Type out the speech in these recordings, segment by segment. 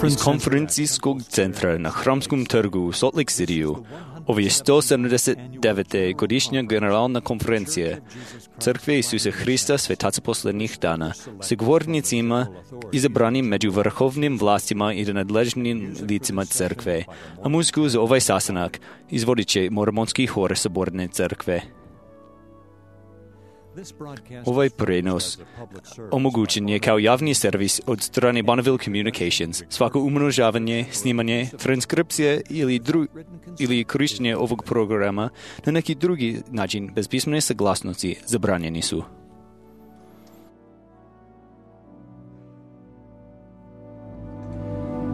Iz konferencijskog centra na Hramskom trgu u Salt Lake City-u ovo je 179. godišnja generalna konferencija Crkve Isusa Hrista Svetaca posljednjih dana sa govornicima izabranim među vrhovnim vlastima i nadležnim licima crkve, a muziku za ovaj sastanak izvodit će Mormonski hor Saborne crkve. Ovaj prenos omogućen je kao javni servis od strane Bonneville Communications. Svako umnožavanje, snimanje, transkripcija ili korištenje ovog programa na neki drugi način bez pismene saglasnosti zabranjeni su.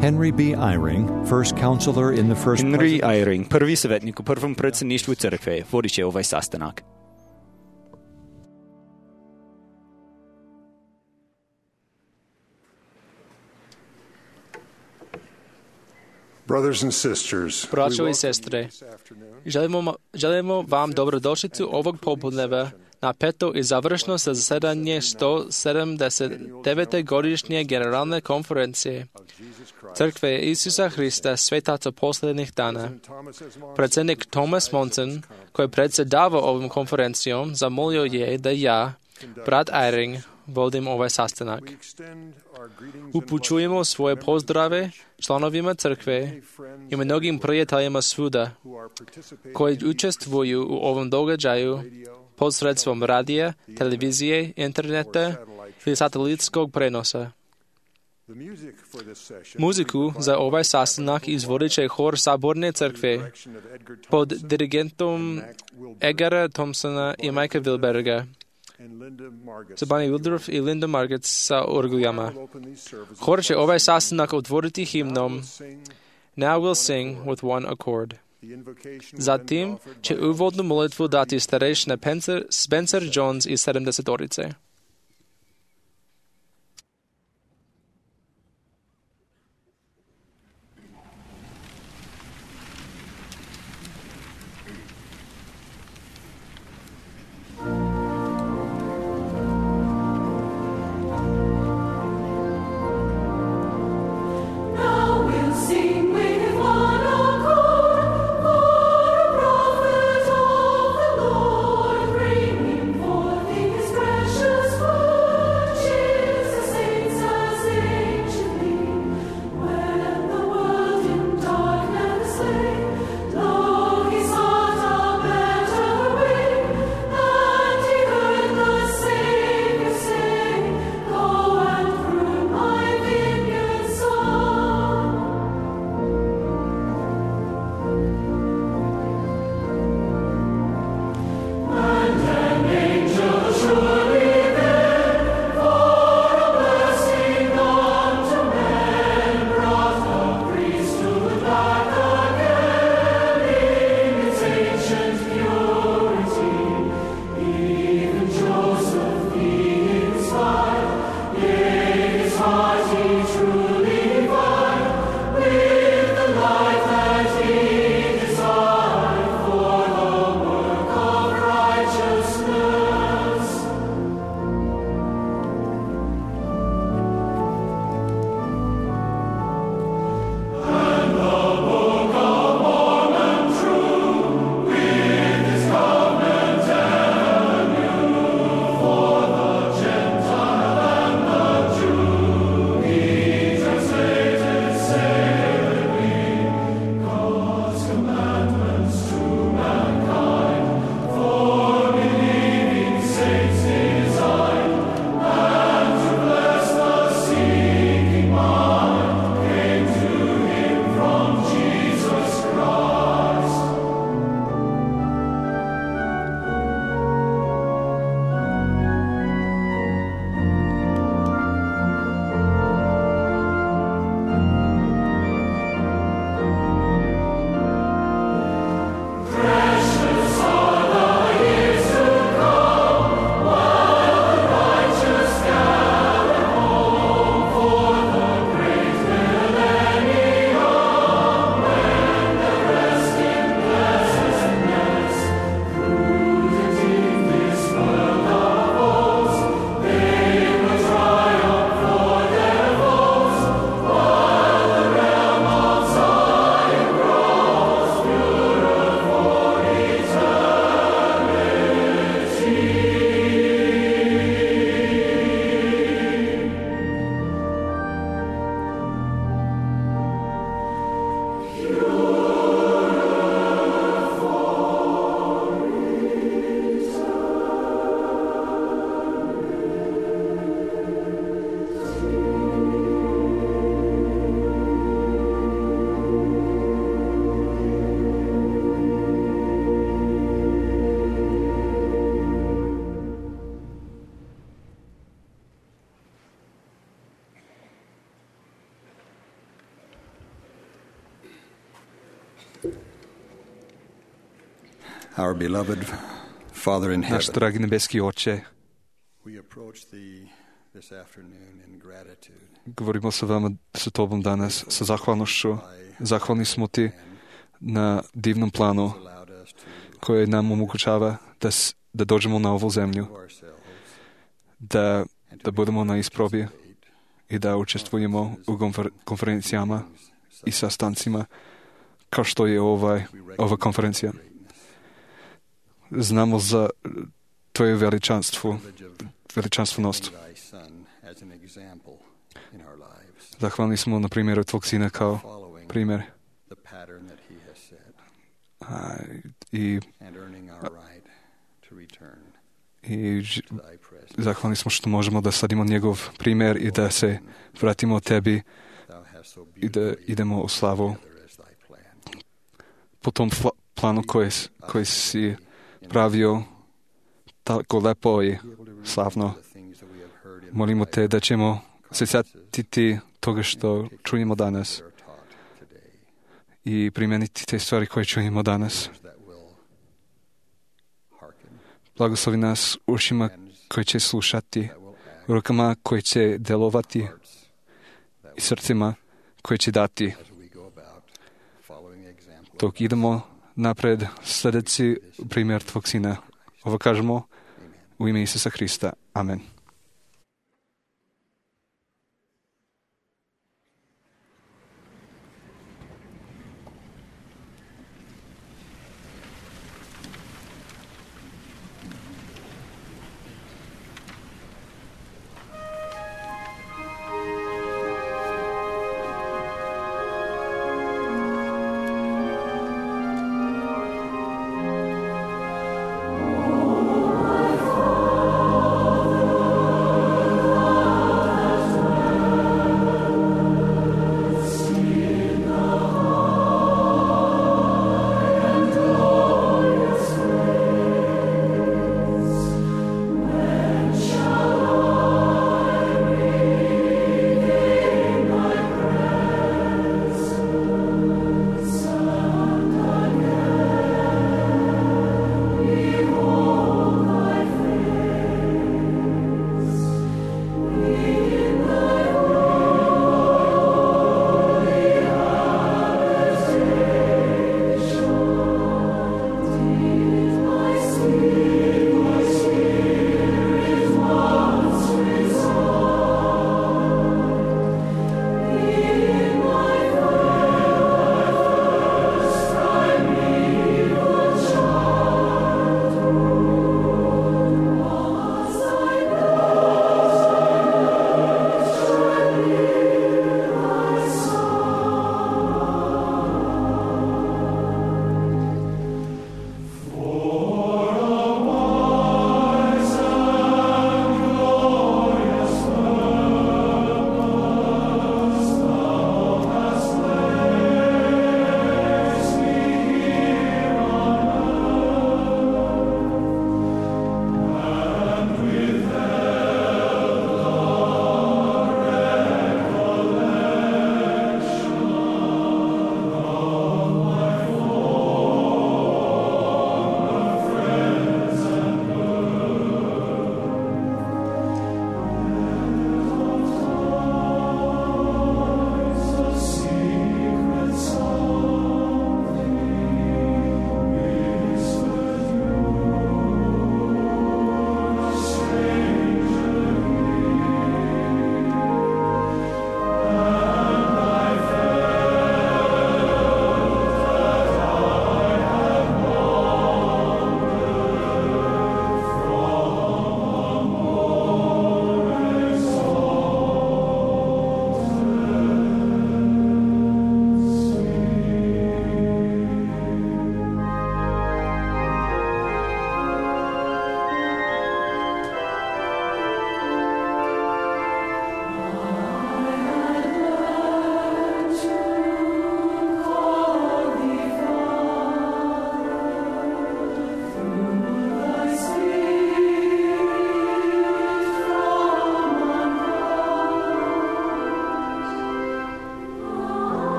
Henry Eyring, prvi savjetnik u prvom predsjedništvu crkve, vodit će ovaj sastanak. Braćo i sestre, želimo vam dobrodošlicu ovog popodneva na peto i završno zasedanje 179. godišnje generalne konferencije Crkve Isusa Hrista Svetaca posljednjih dana. Predsjednik Thomas Monson, koji predsjedava ovom konferencijom, zamolio je da ja, brat Eyring, vodim ovaj sastanak. Upućujemo svoje pozdrave članovima crkve i mnogim prijateljima svuda koji učestvuju u ovom događaju posredstvom radija, televizije, interneta ili satelitskog prenosa. Muziku za ovaj sastanak izvodit će hor Saborne crkve pod dirigentom Edgara Thompsona i Mikea Wilberga. Sabani Wildorf i Linda Marget sa orguljama. Hor će ovaj sastanak otvoriti himnom Now we'll sing with one accord. Zatim će uvodnu molitvu dati starešina Spencer Jones iz 70-orice. Precious Our beloved Father in Наш heaven, драги небески Отче, we approach Thee this afternoon in gratitude. говоримо sa vama, sa Tobom danas, sa zahvalnošću. Zahvalni smo Ti na divnom planu koje nam omogućava da dođemo na ovu zemlju, da budemo na isprobi i da učestvujemo u konferencijama i sastancima kao što je ova konferencija. Znamo za Tvoje veličanstvenost. Zahvalni smo na primjeru Tvog Sina kao primjer i zahvalni smo što možemo da sadimo njegov primjer i da se vratimo Tebi i da idemo u slavu po tom planu koji si pravio tako lepo i slavno. Molimo Te da ćemo se sjetiti toga što čujemo danas i primijeniti te stvari koje čujemo danas. Blagoslovi nas ušima koji će slušati, rukama koji će delovati i srcima koji će dati. Dok idemo napred sljedeći primjer Tvog Sina. Ovo kažemo u ime Isusa Hrista. Amen.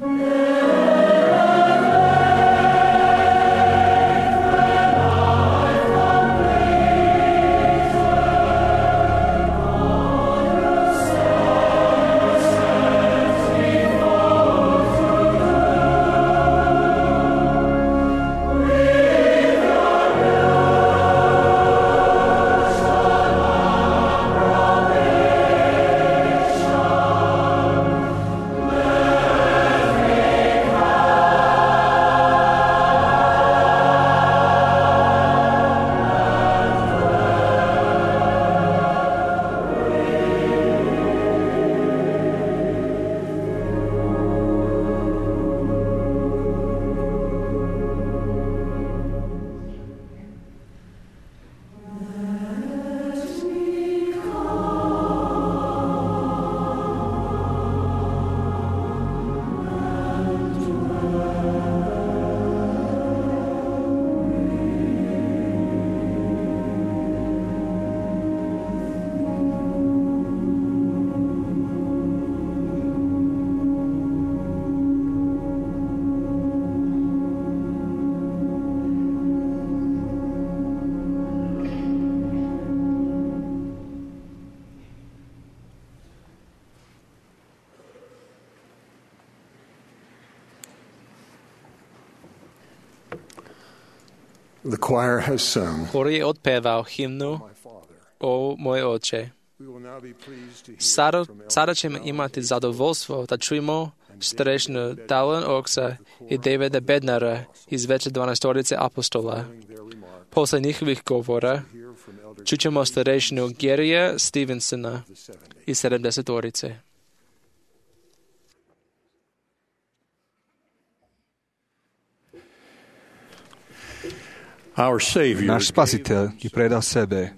The choir has sung. Chor je odpieval hymnu O môj Oče. Sada ćemo imati zadovoljstvo da čujemo strešnu Dallin Oaksa i Davida Bednara iz veće 12 apostola. Posle njihovih govora čućemo starešinu Garyja Stevensona iz 70. Naš Spasitelj je predao sebe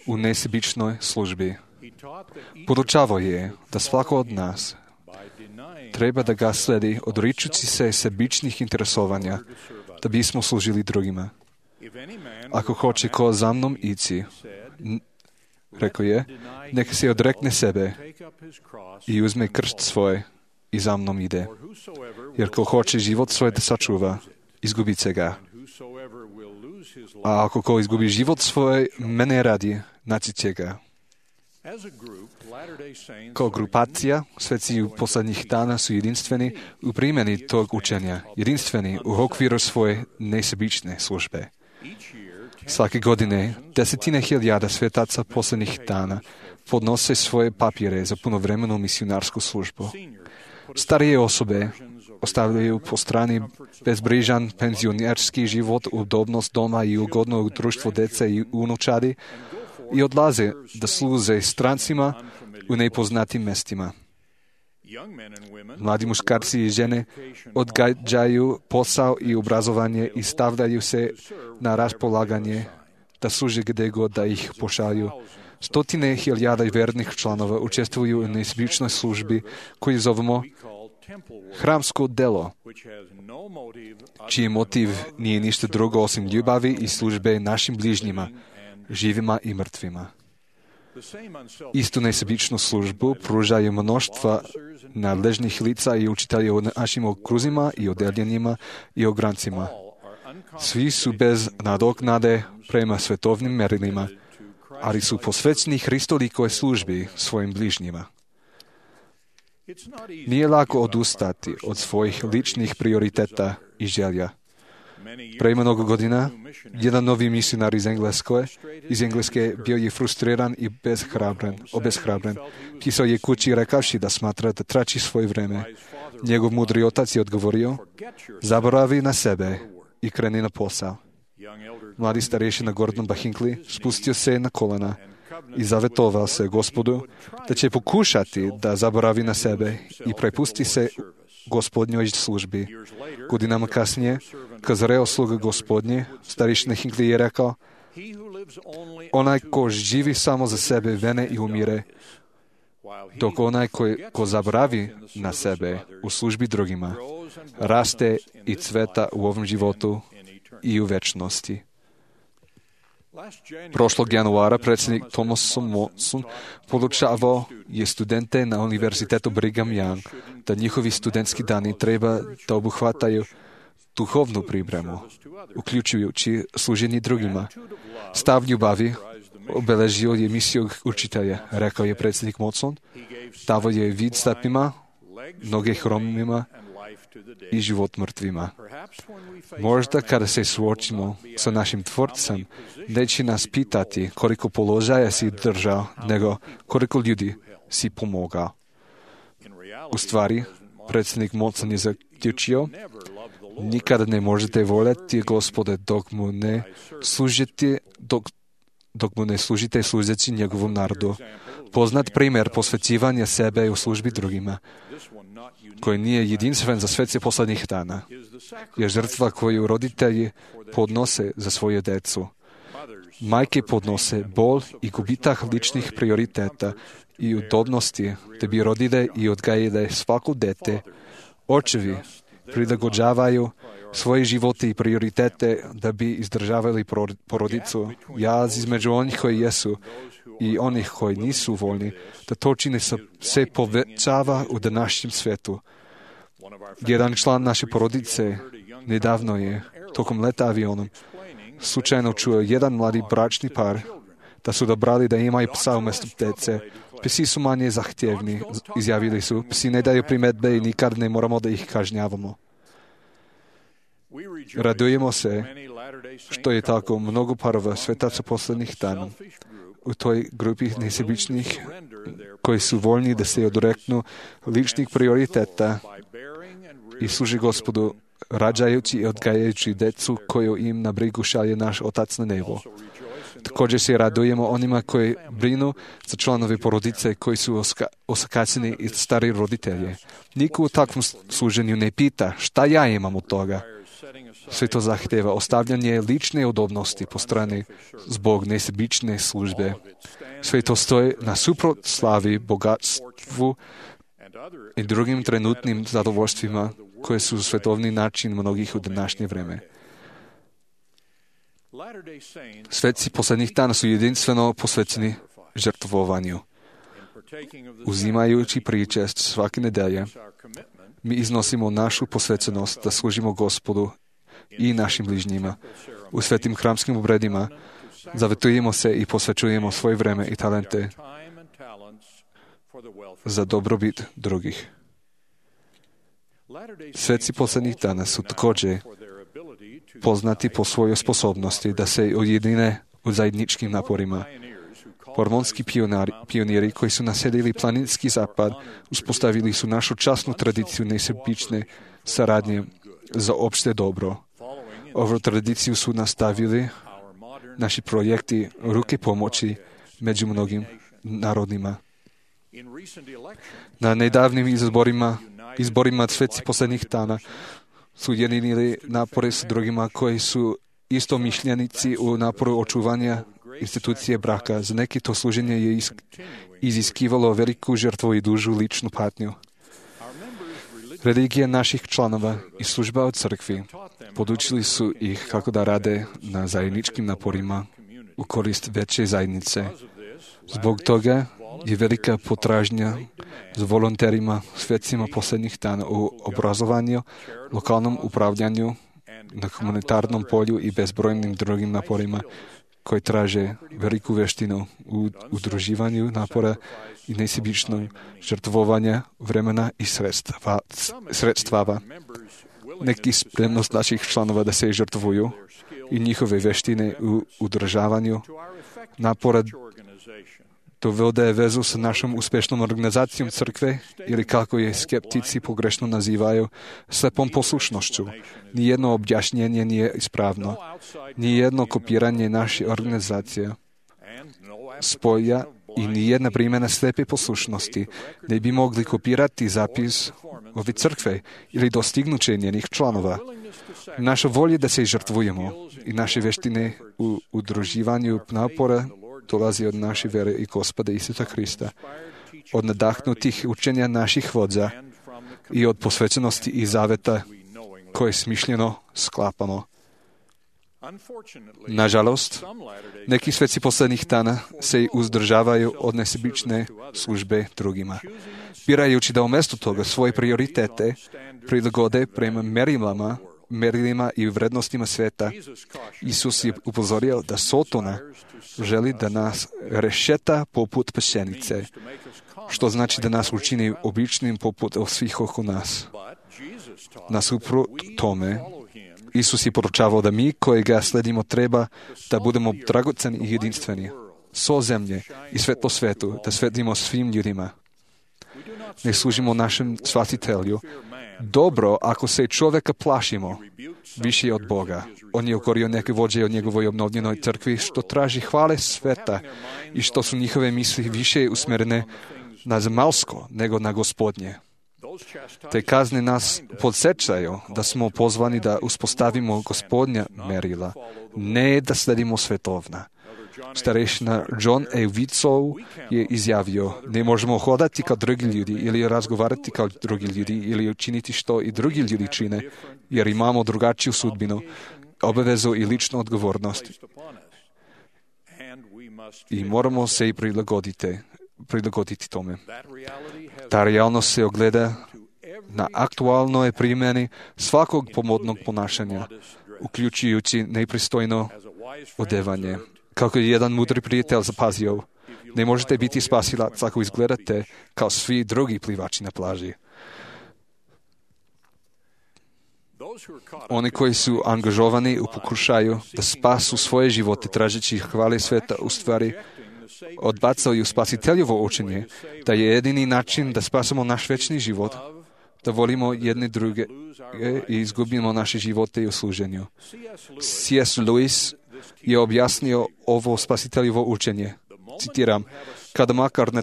u nesebičnoj službi. Podučavao je da svako od nas treba da ga sledi odričući se sebičnih interesovanja da bismo služili drugima. Ako hoće ko za mnom ići, rekao je, neka se odrekne sebe i uzme krst svoj i za mnom ide. Jer ko hoće život svoj da sačuva, izgubit se ga. A ako ko izgubi život svoj, mene radi, naći će ga. Kao grupacija, sveci u poslednjih dana su jedinstveni u primjeni tog učenja, jedinstveni u okviru svoje nesebične službe. Svake godine 10.000 svetaca poslednjih dana podnose svoje papire za punovremenu misionarsku službu. Starije osobe ostavljaju po strani bezbrižan penzionerski život, udobnost doma i ugodno društvo dece i unučadi i odlaze da služe strancima u nepoznatim mestima. Mladi muškarci i žene odgađaju posao i obrazovanje i stavljaju se na raspolaganje da služe gde god da ih pošalju. 100.000 vernih članova učestvuju u nesebičnoj službi koju zovemo hramsko delo, čiji motiv nije ništa drugo osim ljubavi i službe našim bližnjima, živima i mrtvima. Istu nesebičnu službu pružaju mnoštva nadležnih lica i učitelja u našim okruzima i odeljenjima i ograncima. Svi su bez nadoknade prema svetovnim merilima, ali su posvećeni Hristolikoj službi svojim bližnjima. Nije lako odustati od svojih ličnih prioriteta i želja. Pre mnogo godina, jedan novi misionar iz Engleske bio je frustriran i obeshrabren. Pisao je kući rekavši da smatra da trači svoje vreme. Njegov mudri otac je odgovorio, zaboravi na sebe i kreni na posao. Mladi starješina Gordon Hinckley spustio se na kolena i zavetovao se Gospodu da će pokušati da zaboravi na sebe i prepusti se Gospodnjoj službi. Godinama kasnije, kad zreo sluga Gospodnje, starješina Hinckley je rekao, onaj ko živi samo za sebe vene i umire, dok onaj ko zaboravi na sebe u službi drugima, raste i cveta u ovom životu i u večnosti. Prošlog januara predsjednik Thomas Monson podučavao je studente na univerzitetu Brigham Young da njihovi studentski dani treba da obuhvataju duhovnu pripremu, uključujući služenje drugima. Stav ljubavi obeležio je misiju učitelja, rekao je predsjednik Monson. Davo je vid slepima, noge hromima i život mrtvima. Možda kada se suočimo sa našim Tvorcem, neće nas pitati koliko položaja si držao, nego koliko ljudi si pomogao. U stvari, predsjednik Monson je zaključio, nikada ne možete voljeti Gospode dok mu ne služite služeći njegovom narodu. Poznat primjer posvećivanja sebe u službi drugima, koji nije jedinstven za svece posljednjih dana, je žrtva koju roditelji podnose za svoje decu. Majke podnose bol i gubitak ličnih prioriteta i udobnosti da bi rodile i odgajile svako dete. Očevi prilagođavaju svoje živote i prioritete da bi izdržavali porodicu. Jaz između onih koji jesu i onih koji nisu voljni da to čine se povećava u današnjem svijetu. Jedan član naše porodice nedavno je, tokom leta avionom, slučajno čuo jedan mladi bračni par da su dobrali da imaju psa umjesto djece. Psi su manje zahtjevni, izjavili su. Psi ne daju primjedbe i nikad ne moramo da ih kažnjavamo. Radujemo se što je tako mnogo parova svetaca posljednjih dana u toj grupi nesebičnih koji su voljni da se odreknu ličnih prioriteta i služi Gospodu, rađajući i odgajajući decu koju im na brigu šalje naš Otac na nebu. Također se radujemo onima koji brinu za članove porodice koji su osakaćeni i stari roditelje. Niko u takvom služenju ne pita šta ja imam od toga. Sve to zahtjeva ostavljanje lične udobnosti po strani zbog nesebične službe. Sve to stoji na suprotslavi bogatstvu i drugim trenutnim zadovoljstvima koje su svetovni način mnogih u današnje vreme. Sveci posljednjih dana su jedinstveno posvećeni žrtvovanju. Uzimajući pričest svake nedelje, mi iznosimo našu posvećenost da služimo Gospodu i našim bližnjima. U svetim hramskim obredima zavetujemo se i posvećujemo svoje vreme i talente za dobrobit drugih. Sveci posljednjih dana su također poznati po svojoj sposobnosti da se ujedine u zajedničkim naporima. Mormonski pioniri koji su naselili planinski zapad uspostavili su našu časnu tradiciju nesebične saradnje za opšte dobro. Ovu tradiciju su nastavili naši projekti ruke pomoći među mnogim narodima. Na nedavnim izborima sveci posljednjih dana su ujedinili napore s drugima koji su istomišljenici u naporu očuvanja institucije braka. Za neki to služenje je iziskivalo veliku žrtvu i dužu ličnu patnju. Religija naših članova i služba od crkvi podučili su ih kako da rade na zajedničkim naporima u korist veće zajednice. Zbog toga je velika potražnja za volonterima svecima posljednjih dana u obrazovanju, lokalnom upravljanju, na humanitarnom polju i bezbrojnim drugim naporima koji traže veliku veštinu u udruživanju napora i nesebičnog žrtvovanja vremena i sredstava. Neki spremnost naših članova da se žrtvuju i njihove veštine u udržavanju napora dovode vezu sa našom uspješnom organizacijom crkve ili kako je skeptici pogrešno nazivaju slepom poslušnošću. Nijedno objašnjenje nije ispravno. Nijedno kopiranje naše organizacije spoja i nijedna primjena slepe poslušnosti ne bi mogli kopirati zapis ove crkve ili dostignuće njenih članova. Naša volja da se žrtvujemo i naše veštine u udruživanju napora dolazi od naše vere i Gospoda Isusa Hrista, od nadahnutih učenja naših vođa i od posvećenosti i zaveta koje smišljeno sklapamo. Nažalost, neki svetci posledných dana se uzdržavaju od nesebične službe drugima. Birajući da umjesto toga svoje prioritete prilagode prema merilima i vrednostima sveta, Isus je upozorio da Sotona želi da nas rešeta poput pšenice, što znači da nas učini običnim poput svih oko nas. Nasuprot tome, Isus je poručavao da mi koji ga sledimo treba da budemo dragoceni i jedinstveni, so zemlje i svetlo svetu, da svetimo svim ljudima. Ne služimo našem Spasitelju. Dobro, ako se čovjeka plašimo, više od Boga. On je ukorio neke vođe od njegovoj obnovljenoj crkvi, što traži hvale sveta i što su njihove misli više usmjerene na zemaljsko nego na Gospodnje. Te kazne nas podsjećaju da smo pozvani da uspostavimo Gospodnja merila, ne da sledimo svetovna. Starešina John A. Wicow je izjavio: ne možemo hodati kao drugi ljudi ili razgovarati kao drugi ljudi ili učiniti što i drugi ljudi čine, jer imamo drugačiju sudbinu, obavezu i ličnu odgovornost. I moramo se i prilagoditi tome. Ta realnost se ogleda na aktualnoj primjeni svakog pomodnog ponašanja, uključujući nepristojno odevanje. Kako je jedan mudri prijatelj zapazio, ne možete biti spasilac ako izgledate kao svi drugi plivači na plaži. Oni koji su angažovani u pokušaju da spasu svoje živote tražeći hvale sveta, u stvari odbacaju Spasiteljevo učenje da je jedini način da spasimo naš večni život, da volimo jedne druge i izgubimo naše živote i u služenju. C.S. Lewis je objasnio ovo Spasiteljevo učenje. Citiram: kada makar na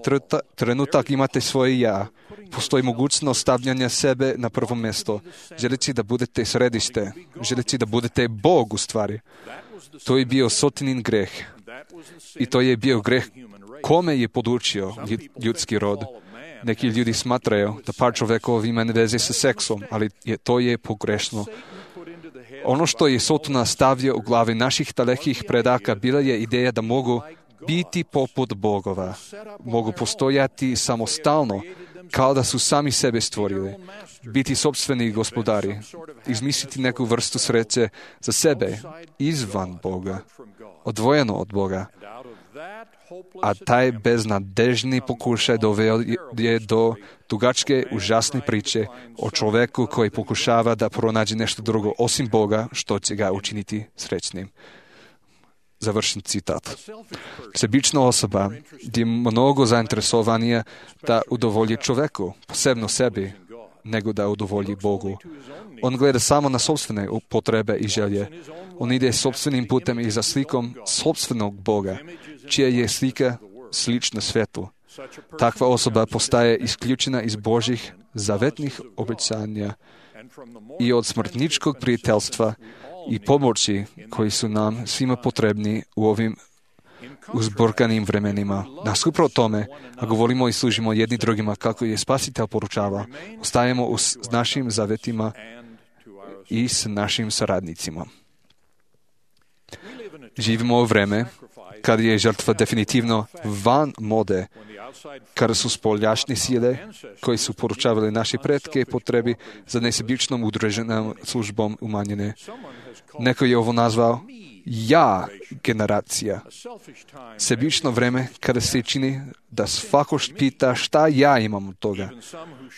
trenutak imate svoje ja, postoji mogućnost stavljanja sebe na prvo mjesto, želeći da budete središte, želeći da budete Bog u stvari. To je bio Sotonin greh. I to je bio greh kome je podučio ljudski rod. Neki ljudi smatraju da par čovjekova ima veze sa seksom, ali to je pogrešno. Ono što je Sotona stavio u glavi naših dalekih predaka bila je ideja da mogu biti poput bogova, mogu postojati samostalno, kao da su sami sebe stvorili, biti sopstveni gospodari, izmisliti neku vrstu sreće za sebe, izvan Boga, odvojeno od Boga. A taj beznadežni pokušaj doveo je do dugačke, užasne priče o čovjeku koji pokušava da pronađe nešto drugo osim Boga, što će ga učiniti srećnim. Završen citat. Sebična osoba je mnogo zainteresovanija da udovolji čovjeku, posebno sebi, nego da udovolji Bogu. On gleda samo na sopstvene potrebe i želje. On ide sopstvenim putem i za slikom sopstvenog Boga, čija je slika slična svetu. Takva osoba postaje isključena iz Božjih zavetnih obećanja i od smrtničkog prijateljstva i pomoći koji su nam svima potrebni u ovim uzburkanim vremenima. Nasuprot tome, ako volimo i služimo jedni drugima kako je Spasitelj poručava, ostajemo s našim zavetima i s našim saradnicima. Živimo u vreme kad je žrtva definitivno van mode, kada su spoljašnje sile koji su poručavali naše pretke potrebi za nesebičnom udruženom službom umanjene. Neko je ovo nazvao ja generacija. Sebično vreme kada se čini da svako pita šta ja imam od toga.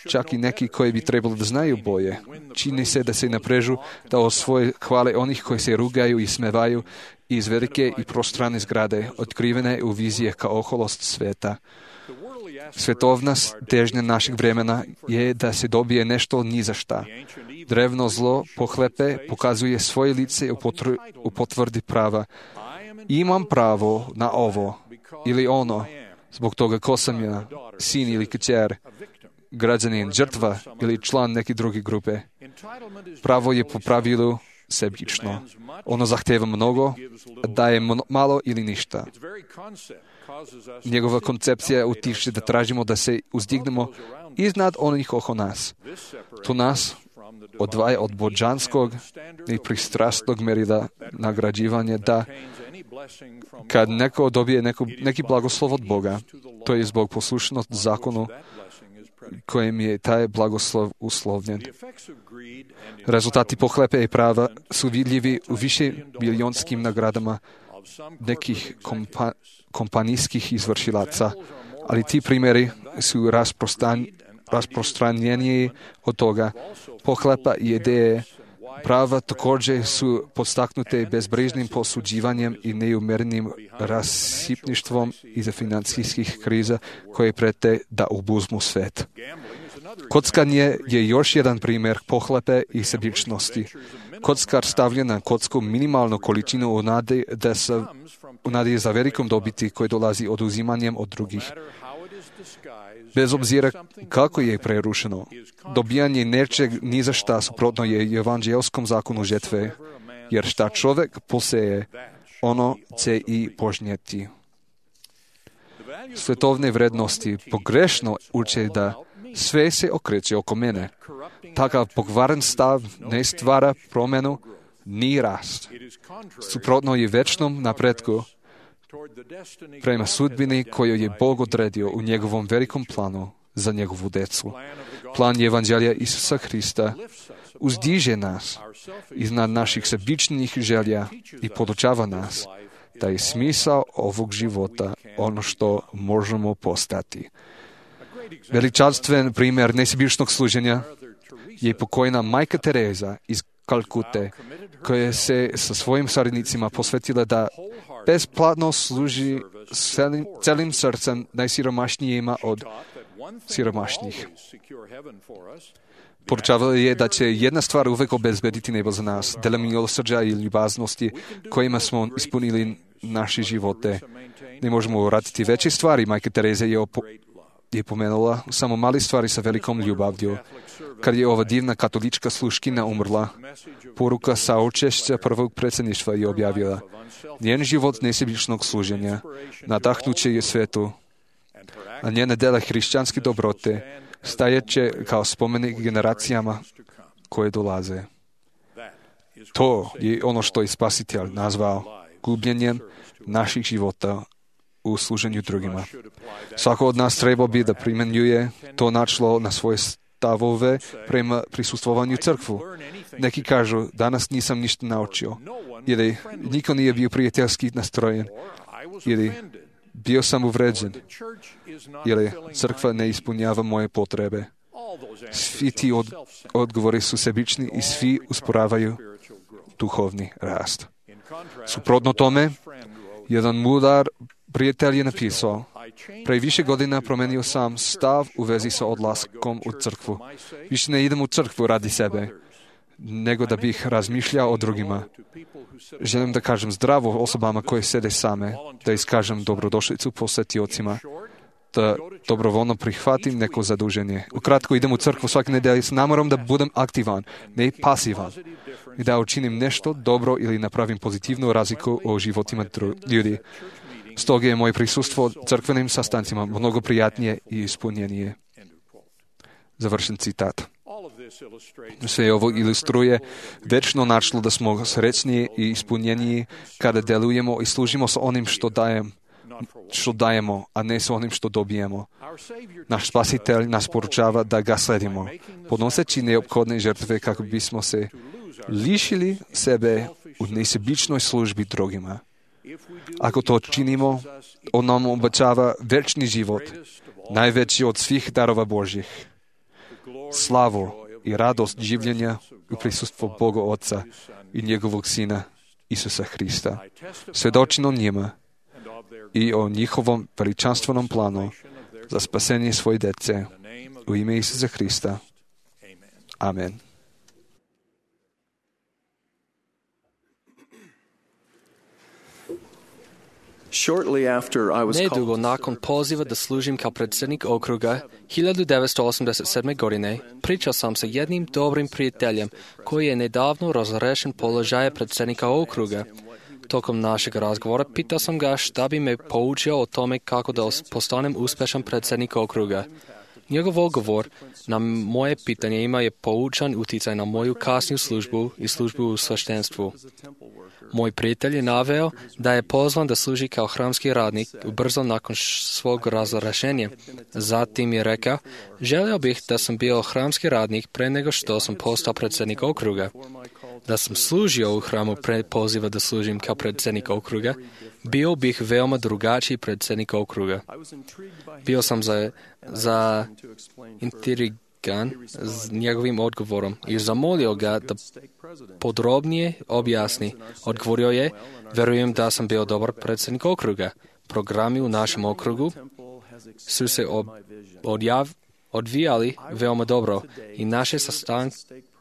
Čak i neki koji bi trebali da znaju boje. Čini se da se naprežu da osvoje hvale onih koji se rugaju i smevaju iz velike i prostrane zgrade, otkrivene u vizije kao oholost sveta. Svetovna težnja našeg vremena je da se dobije nešto ni za šta. Drevno zlo pohlepe pokazuje svoje lice u potvrdi prava. Imam pravo na ovo ili ono, zbog toga ko sam ja, sin ili kćer, građanin, žrtva ili član neke druge grupe. Pravo je po pravilu sebično. Ono zahteva mnogo, daje malo ili ništa. Njegova koncepcija utiče da tražimo da se uzdignemo iznad onih oko nas. To nas odvaja od božanskog i pristrasnog merila nagrađivanja, da kad neko dobije neki blagoslov od Boga, to je zbog poslušnosti zakonu kojim je taj blagoslov uslovljen. Rezultati pohlepe i prava su vidljivi u više milijonskim nagradama nekih kompanijskih izvršilaca, ali ti primjeri su rasprostranjeniji od toga. Pohlepa i ideje prava također su podstaknute bezbrižnim posuđivanjem i neumjerenim rasipništvom iza financijskih kriza koje prete da obuzmu svet. Kockanje je još jedan primjer pohlepe i sebičnosti. Kockar stavlja na kocku minimalnu količinu u nadi za velikom dobiti koji dolazi oduzimanjem od drugih. Bez obzira kako je prerušeno, dobijanje nečeg ni za šta suprotno je evanđelskom zakonu žetve, jer šta čovjek poseje, ono će i požnjeti. Svetovne vrednosti pogrešno uče da sve se okreće oko mene. Takav pokvaren stav ne stvara promjenu ni rast. Suprotno je večnom napretku prema sudbini koju je Bog odredio u njegovom velikom planu za njegovu decu. Plan evanđelja Isusa Hrista uzdiže nas iznad naših sebičnih želja i podučava nas da je smisao ovog života ono što možemo postati. Veličanstven primjer nesebičnog služenja je pokojna majka Tereza iz Kalkute, koja se sa svojim saradnicima posvetila da besplatno služi celim srcem najsiromašnijima od siromašnih. Poručavala je da će jedna stvar uvek obezbediti nebo za nas, dela milosrđa i ljubaznosti kojima smo ispunili naše živote. Ne možemo uraditi veće stvari. Majka Tereza je pomenula samo mali stvari sa velikom ljubavlju. Kad je ova divna katolička sluškinja umrla, poruka saučešća prvog predsjedništva je objavila: njen život nesebičnog služenja nadahnuće je svetu, a njene dela hrišćanske dobrote stajeće kao spomenik generacijama koje dolaze. To je ono što je Spasitelj nazvao gubljenjem naših života u služenju drugima. Svako od nas treba bi da primjenjuje to načelo na svoje stavove prema prisustvovanju crkvu. Neki kažu, danas nisam ništa naučio, ili niko nije bio prijateljski nastrojen, ili bio sam uvređen, ili crkva ne ispunjava moje potrebe. Svi ti odgovori su sebični i svi usporavaju duhovni rast. Suprotno tome, jedan mudar prijatelj je napisao: pre više godina promenio sam stav u vezi sa odlaskom u crkvu. Više ne idem u crkvu radi sebe, nego da bih razmišljao o drugima. Želim da kažem zdravo osobama koje sede same, da iskažem dobrodošlicu posetiocima, da dobrovoljno prihvatim neko zaduženje. Ukratko, idem u crkvu svake nedelje s namorom da budem aktivan, ne pasivan, i da učinim nešto dobro ili napravim pozitivnu razliku o životima ljudi. Stoga je moje prisustvo crkvenim sastancima mnogo prijatnije i ispunjenije. Završen citat. Sve ovo ilustruje večno načelo da smo srećniji i ispunjeniji kada delujemo i služimo sa onim što dajemo, a ne sa onim što dobijemo. Naš Spasitelj nas poručava da ga sledimo, podnoseći neophodne žrtve kako bismo se lišili sebe u nesebičnoj službi drugima. Ako to činimo, on nam obećava večni život, najveći od svih darova Božjih, slavu i radost življenja u prisustvu Boga Otca i njegovog Sina Isusa Hrista. Svjedočim o njima i o njihovom veličanstvenom planu za spasenje svoje dece u ime Isusa Hrista. Amen. Nedugo nakon poziva da služim kao predsjednik okruga 1987. godine, pričao sam sa jednim dobrim prijateljem koji je nedavno razrešen položaja predsjednika okruga. Tokom našeg razgovora pitao sam ga šta bi me poučio o tome kako da postanem uspješan predsjednik okruga. Njegov odgovor na moje pitanje ima je poučan utjecaj na moju kasniju službu i službu u sveštenstvu. Moj prijatelj je naveo da je pozvan da služi kao hramski radnik brzo nakon svog razrješenja. Zatim je rekao, želio bih da sam bio hramski radnik pre nego što sam postao predsjednik okruga. Da sam služio u hramu pre poziva da služim kao predsjednik okruga, bio bih veoma drugačiji predsjednik okruga. Bio sam intrigan s njegovim odgovorom i zamolio ga da podrobnije objasni. Odgovorio je, verujem da sam bio dobar predsjednik okruga. Programi u našem okrugu su se odvijali veoma dobro i naše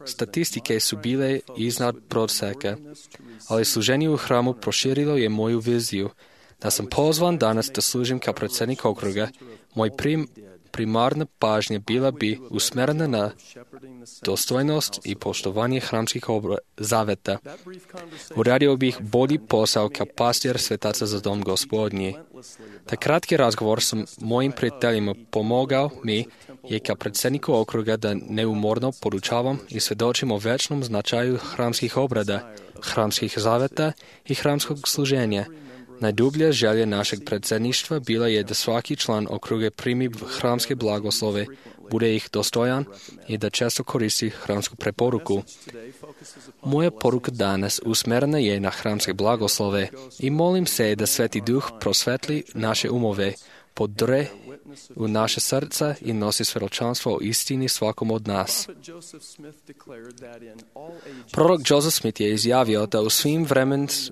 statistike su bile iznad prosjeka, ali služenje u hramu proširilo je moju viziju. Da sam pozvan danas da služim kao predsjednik okruga, moj primarna pažnja bila bi usmjerena na dostojnost i poštovanje hramskih zaveta. Uradio bih bolji posao kao pastir svetaca za dom Gospodnji. Taj kratki razgovor sa mojim prijateljima pomogao mi je kao predsjedniku okruga da neumorno podučavam i svjedočim o večnom značaju hramskih obrada, hramskih zaveta i hramskog služenja. Najdublja želja našeg predsjedništva bila je da svaki član okruge primi hramske blagoslove, bude ih dostojan i da često koristi hramsku preporuku. Moja poruka danas usmjerena je na hramske blagoslove i molim se da Sveti Duh prosvetli naše umove, podre u naše srca i nosi svjedočanstvo o istini svakom od nas. Prorok Joseph Smith je izjavio da u svim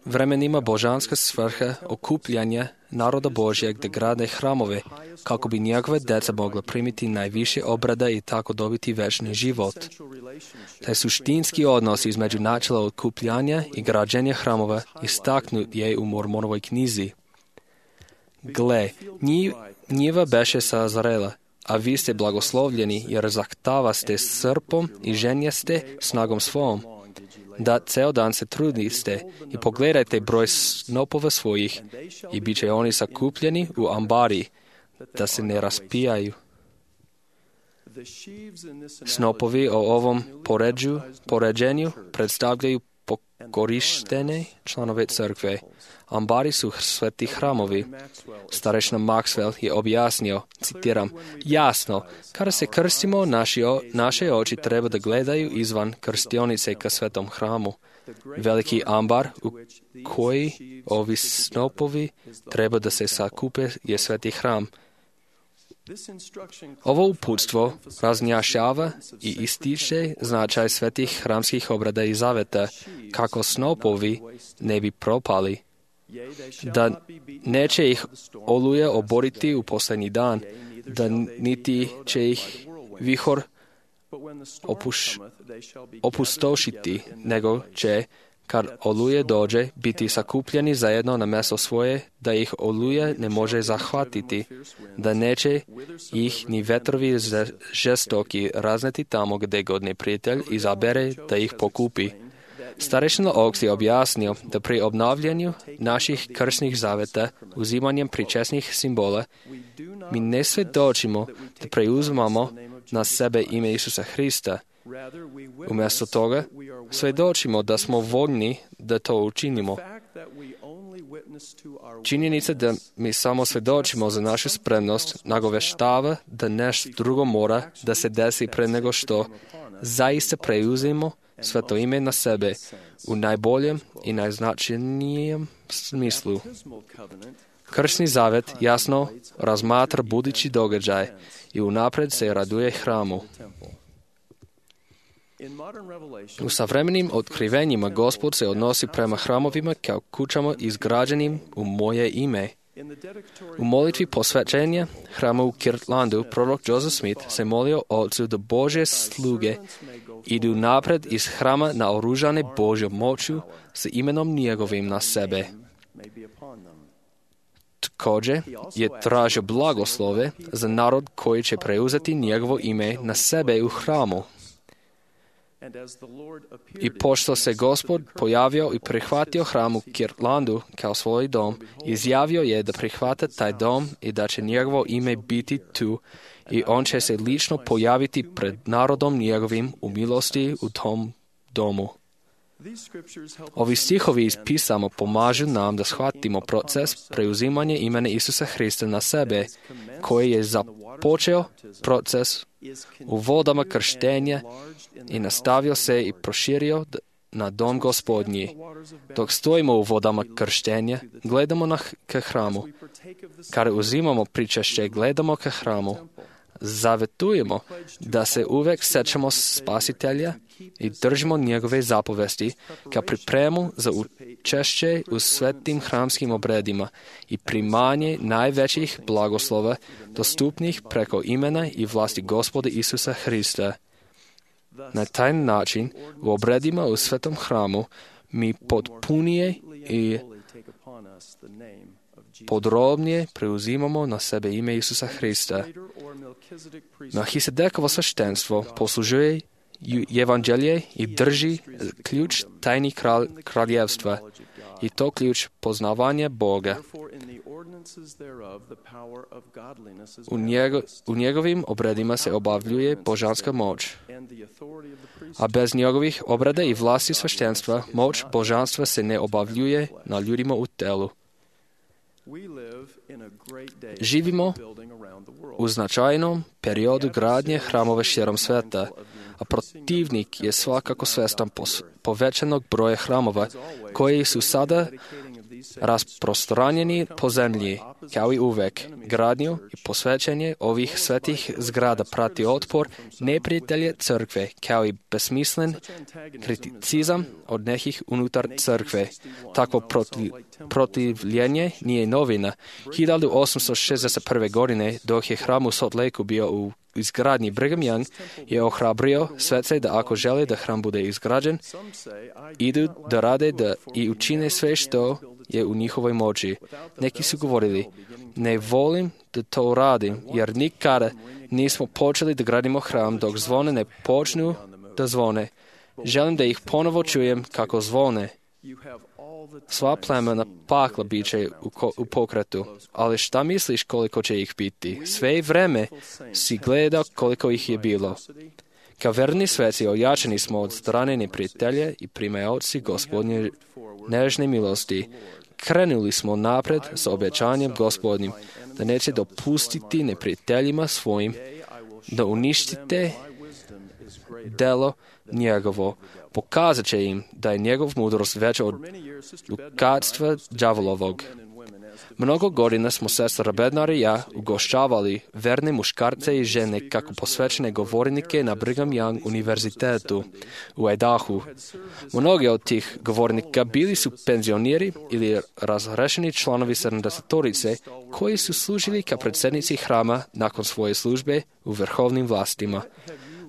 vremenima božanska svrha okupljanja naroda Božjeg da grade hramove, kako bi njegove deca mogla primiti najviše obrada i tako dobiti večni život. Taj suštinski odnos između načela okupljanja i građenja hramova istaknut je u Mormonovoj knjizi. Gle, njiva beše sazrela, a vi ste blagoslovljeni, jer zahtavaste srpom i ženjaste snagom svom. Da ceo dan se trudiste i pogledajte broj snopova svojih i bit će oni sakupljeni u ambari, da se ne raspijaju. Snopovi o ovom poređenju predstavljaju pokorištene članove crkve. Ambari su sveti hramovi. Starešna Maxwell je objasnio, citiram, jasno, kada se krstimo, naše oči treba da gledaju izvan krstionice ka svetom hramu. Veliki ambar u koji ovi snopovi treba da se sakupe je sveti hram. Ovo uputstvo razjašnjava i ističe značaj svetih hramskih obrada i zaveta, kako snopovi ne bi propali, da neće ih oluja oboriti u posljednji dan, da niti će ih vihor opustošiti, nego će, kad oluje dođe, biti sakupljeni zajedno na mjesto svoje, da ih oluja ne može zahvatiti, da neće ih ni vetrovi žestoki razneti tamo gdje god neprijatelj izabere da ih pokupi. Starešina Oaks je objasnio da pri obnavljanju naših krstnih zaveta, uzimanjem pričesnih simbola, mi ne svjedočimo da preuzimamo na sebe ime Isusa Hrista. Umjesto toga, svjedočimo da smo voljni da to učinimo. Činjenica da mi samo svjedočimo za našu spremnost nagoveštava da nešto drugo mora da se desi pre nego što zaista preuzimo sveto ime na sebe u najboljem i najznačajnijem smislu. Krstni zavet jasno razmatra budući događaj i unapred se raduje hramu. U savremenim otkrivenjima Gospod se odnosi prema hramovima kao kućama izgrađenim u moje ime. U molitvi posvećenja hrama u Kirtlandu prorok Joseph Smith se molio Otcu da Božje sluge idu napred iz hrama naoružane Božjom moću s imenom njegovim na sebe. Također je tražio blagoslove za narod koji će preuzeti njegovo ime na sebe u hramu. I pošto se Gospod pojavio i prihvatio hram u Kirtlandu kao svoj dom, izjavio je da prihvata taj dom i da će njegovo ime biti tu i on će se lično pojaviti pred narodom njegovim u milosti u tom domu. Ovi stihovi iz pisama pomažu nam da shvatimo proces preuzimanja imena Isusa Hrista na sebe, koji je započeo proces u vodama krštenja i nastavio se i proširio na dom Gospodnji. Dok stojimo u vodama krštenja, gledamo ka hramu. Kada uzimamo pričešće, gledamo ka hramu. Zavetujemo da se uvek sećamo Spasitelja i držimo njegove zapovesti kao pripremu za učešće u svetim hramskim obredima i primanje najvećih blagoslova dostupnih preko imena i vlasti Gospoda Isusa Hrista. Na taj način u obredima u svetom hramu mi potpunije i podrobnije preuzimamo na sebe ime Isusa Hrista. Melchisedekovo sveštenstvo poslužuje evanđelje i drži ključ tajni kraljevstva i to ključ poznavanja Boga. U njegovim obredima se obavljuje božanska moć, a bez njegovih obreda i vlasti sveštenstva moć božanstva se ne obavljuje na ljudima u telu. Živimo u značajnom periodu gradnje hramova širom sveta, a protivnik je svakako svestan povećanog broja hramova koji su sada rasprostranjeni po zemlji. Kao i uvek, gradnju i posvećenje ovih svetih zgrada prati otpor neprijatelje crkve, kao i besmislen kriticizam od nekih unutar crkve. Takvo protivljenje nije novina. 1861. godine, dok je hram u Salt Lakeu bio u izgradnji, Brigham Young je ohrabrio svece da ako žele da hram bude izgrađen, idu da rade i učine sve što je u njihovoj moći. Neki su govorili, ne volim da to radim, jer nikada nismo počeli da gradimo hram dok zvone ne počnu da zvone. Želim da ih ponovo čujem kako zvone. Sva plemena pakla bit će u pokretu, ali šta misliš koliko će ih biti? Sve vreme si gledao koliko ih je bilo. Kao verni sveci ojačani smo od strane neprijatelja i primaoci Gospodnje nežne milosti. Krenuli smo napred sa obećanjem Gospodnjim da neće dopustiti neprijateljima svojim da uništite delo njegovo. Pokazat će im da je njegov mudrost veća od lukavstva đavolovog. Mnogo godina smo sestra Bednar i ja ugošćavali verne muškarce i žene kako posvećene govornike na Brigham Young univerzitetu u Idahu. Mnogi od tih govornika bili su penzioneri ili razrešeni članovi 70-torice koji su služili kao predsjednici hrama nakon svoje službe u vrhovnim vlastima.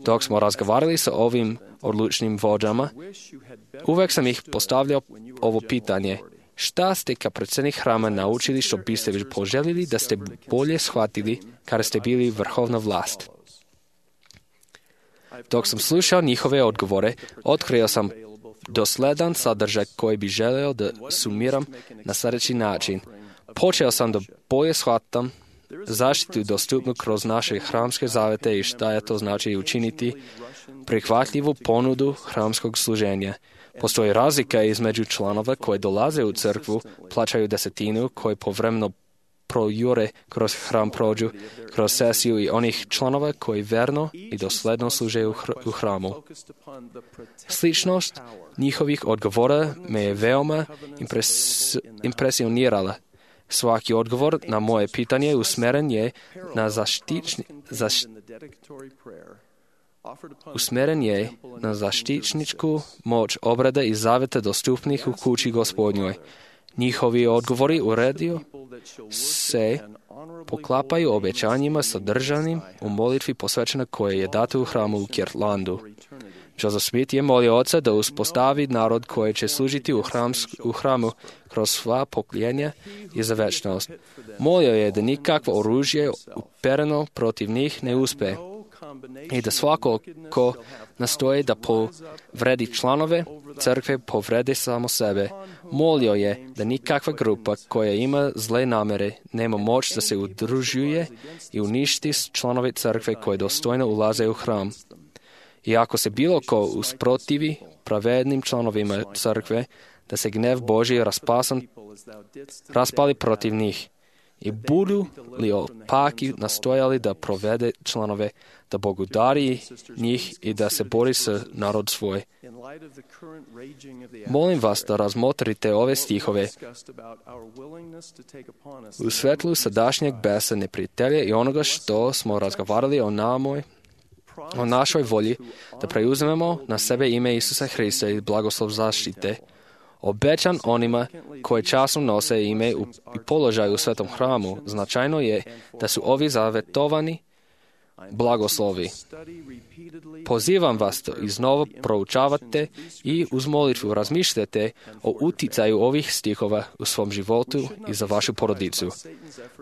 Dok smo razgovarali sa ovim odlučnim vođama, uvek sam ih postavljao ovo pitanje. Šta ste kao predsjednik hrama naučili što biste već poželjeli da ste bolje shvatili kada ste bili vrhovna vlast? Dok sam slušao njihove odgovore, otkrio sam dosledan sadržaj koji bi želeo da sumiram na sljedeći način. Počeo sam da bolje shvatam zaštitu dostupnu kroz naše hramske zavete i šta je to znači učiniti prihvatljivu ponudu hramskog služenja. Postoji razlika između članova koji dolaze u crkvu, plaćaju desetinu, koji povremeno projure kroz hram, prođu kroz sesiju i onih članova koji verno i dosledno služe u hramu. Sličnost njihovih odgovora me je veoma impresionirala. Svaki odgovor na moje pitanje usmeren je na zaštićničku moć obreda i zaveta dostupnih u kući Gospodnjoj. Njihovi odgovori u redu se poklapaju obećanjima sadržanim u molitvi posvećena koje je dato u hramu u Kirtlandu. Joseph Smith je molio Oca da uspostavi narod koji će služiti u hramu kroz sva pokoljenja i za večnost. Molio je da nikakvo oružje upereno protiv njih ne uspe. i da svako ko nastoji da povredi članove crkve povredi samo sebe. Molio je da nikakva grupa koja ima zle namere nema moć da se udružuje i uništi članove crkve koje dostojno ulaze u hram. I ako se bilo ko usprotivi pravednim članovima crkve, da se gnev Božji raspali protiv njih. I budu li opaki nastojali da provede članove, da Bog udari njih i da se bori sa narod svoj. Molim vas da razmotrite ove stihove u svetlu sadašnjeg besa neprijatelja i onoga što smo razgovarali o našoj volji da preuzmemo na sebe ime Isusa Hrista i blagoslov zaštite. Obećan onima koji časno nose ime i položaj u svetom hramu, značajno je da su ovi zavetovani blagoslovi. Pozivam vas da iznova proučavate i uz molitvu razmišljate o uticaju ovih stihova u svom životu i za vašu porodicu.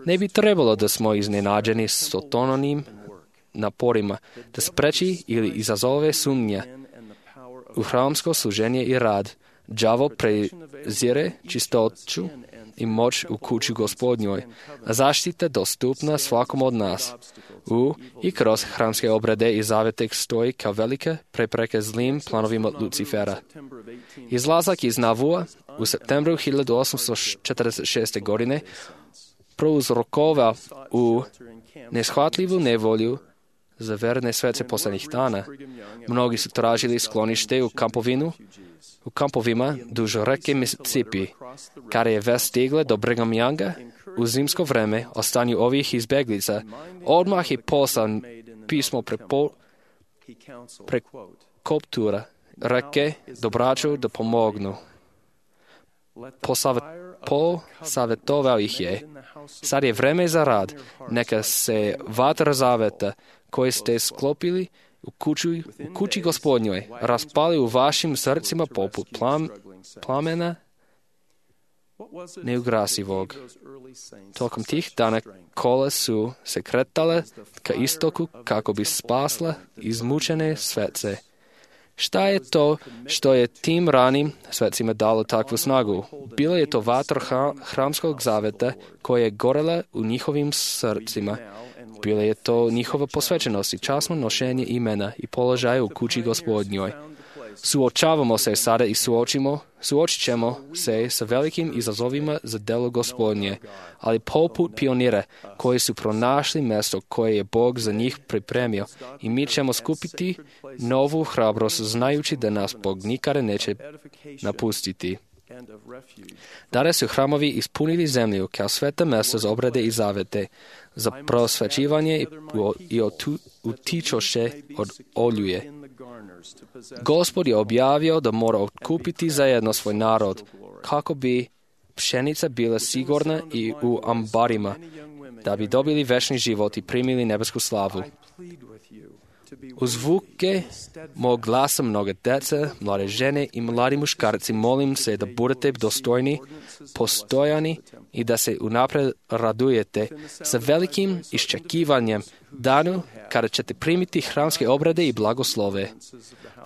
Ne bi trebalo da smo iznenađeni Satanovim naporima da spreči ili izazove sumnje u hramsko služenje i rad. Đavo prezire čistoću i moć u kući Gospodnjoj, a zaštita dostupna svakom od nas. I kroz hramske obrede i zavete stoji kao velike prepreke zlim planovima Lucifera. Izlazak iz Navua u septembru 1846. godine prouzrokovao u neshvatljivu nevolju za verne svece posljednjih dana. Mnogi su tražili sklonište u kampovima duž reke Mississippi, kada je vest stigla do Brigham Younga u zimsko vreme o stanju ovih izbjeglica. Odmah je poslao pismo prekoptura reke do braću da pomognu. Posavjetovao ih je: sad je vreme za rad, neka se vatra zaveta koje ste sklopili u kući Gospodnjoj raspali u vašim srcima poput plamena neugasivog. Tokom tih dana kola su se kretale ka istoku kako bi spasla izmučene svece. Šta je to što je tim ranim svecima dalo takvu snagu? Bila je to vatra hramskog zaveta koja je gorela u njihovim srcima. Bila je to njihova posvećenost i časno nošenje imena i položaja u kući Gospodnjoj. Suočavamo se sada i suočit ćemo se sa velikim izazovima za delo Gospodnje, ali poput pionira koji su pronašli mjesto koje je Bog za njih pripremio i mi ćemo skupiti novu hrabrost znajući da nas Bog nikada neće napustiti. Dare su hramovi ispunili zemlju kao sveta mjesta za obrade i zavete, za prosvećivanje i utičoše od oljuje. Gospod je objavio da mora otkupiti zajedno svoj narod, kako bi pšenica bila sigurna i u ambarima, da bi dobili večni život i primili nebesku slavu. U zvuke mog glasa mnoga deca, mlade žene i mladi muškarci molim se da budete dostojni, postojani i da se unaprijed radujete sa velikim iščekivanjem danu kada ćete primiti hramske obrede i blagoslove.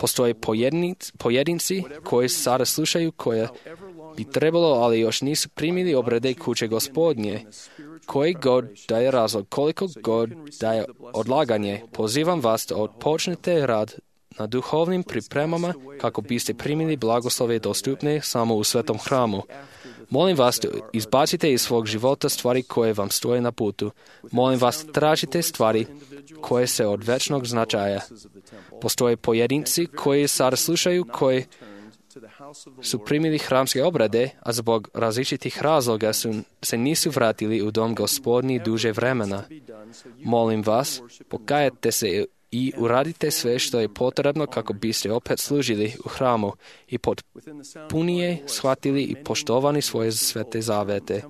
Postoje pojedinci koji sada slušaju koje bi trebalo, ali još nisu primili obrede kuće Gospodnje. Koji god da je razlog, koliko god da je odlaganje, pozivam vas da odpočnete rad na duhovnim pripremama kako biste primili blagoslove dostupne samo u svetom hramu. Molim vas da izbacite iz svog života stvari koje vam stoje na putu. Molim vas tražite stvari koje se od večnog značaja. Postoje pojedinci koji sada slušaju, koji su primili hramske obrade, a zbog različitih razloga se nisu vratili u dom Gospodnji duže vremena. Molim vas, pokajete se i uradite sve što je potrebno kako biste opet služili u hramu i potpunije shvatili i poštovani svoje svete zavete.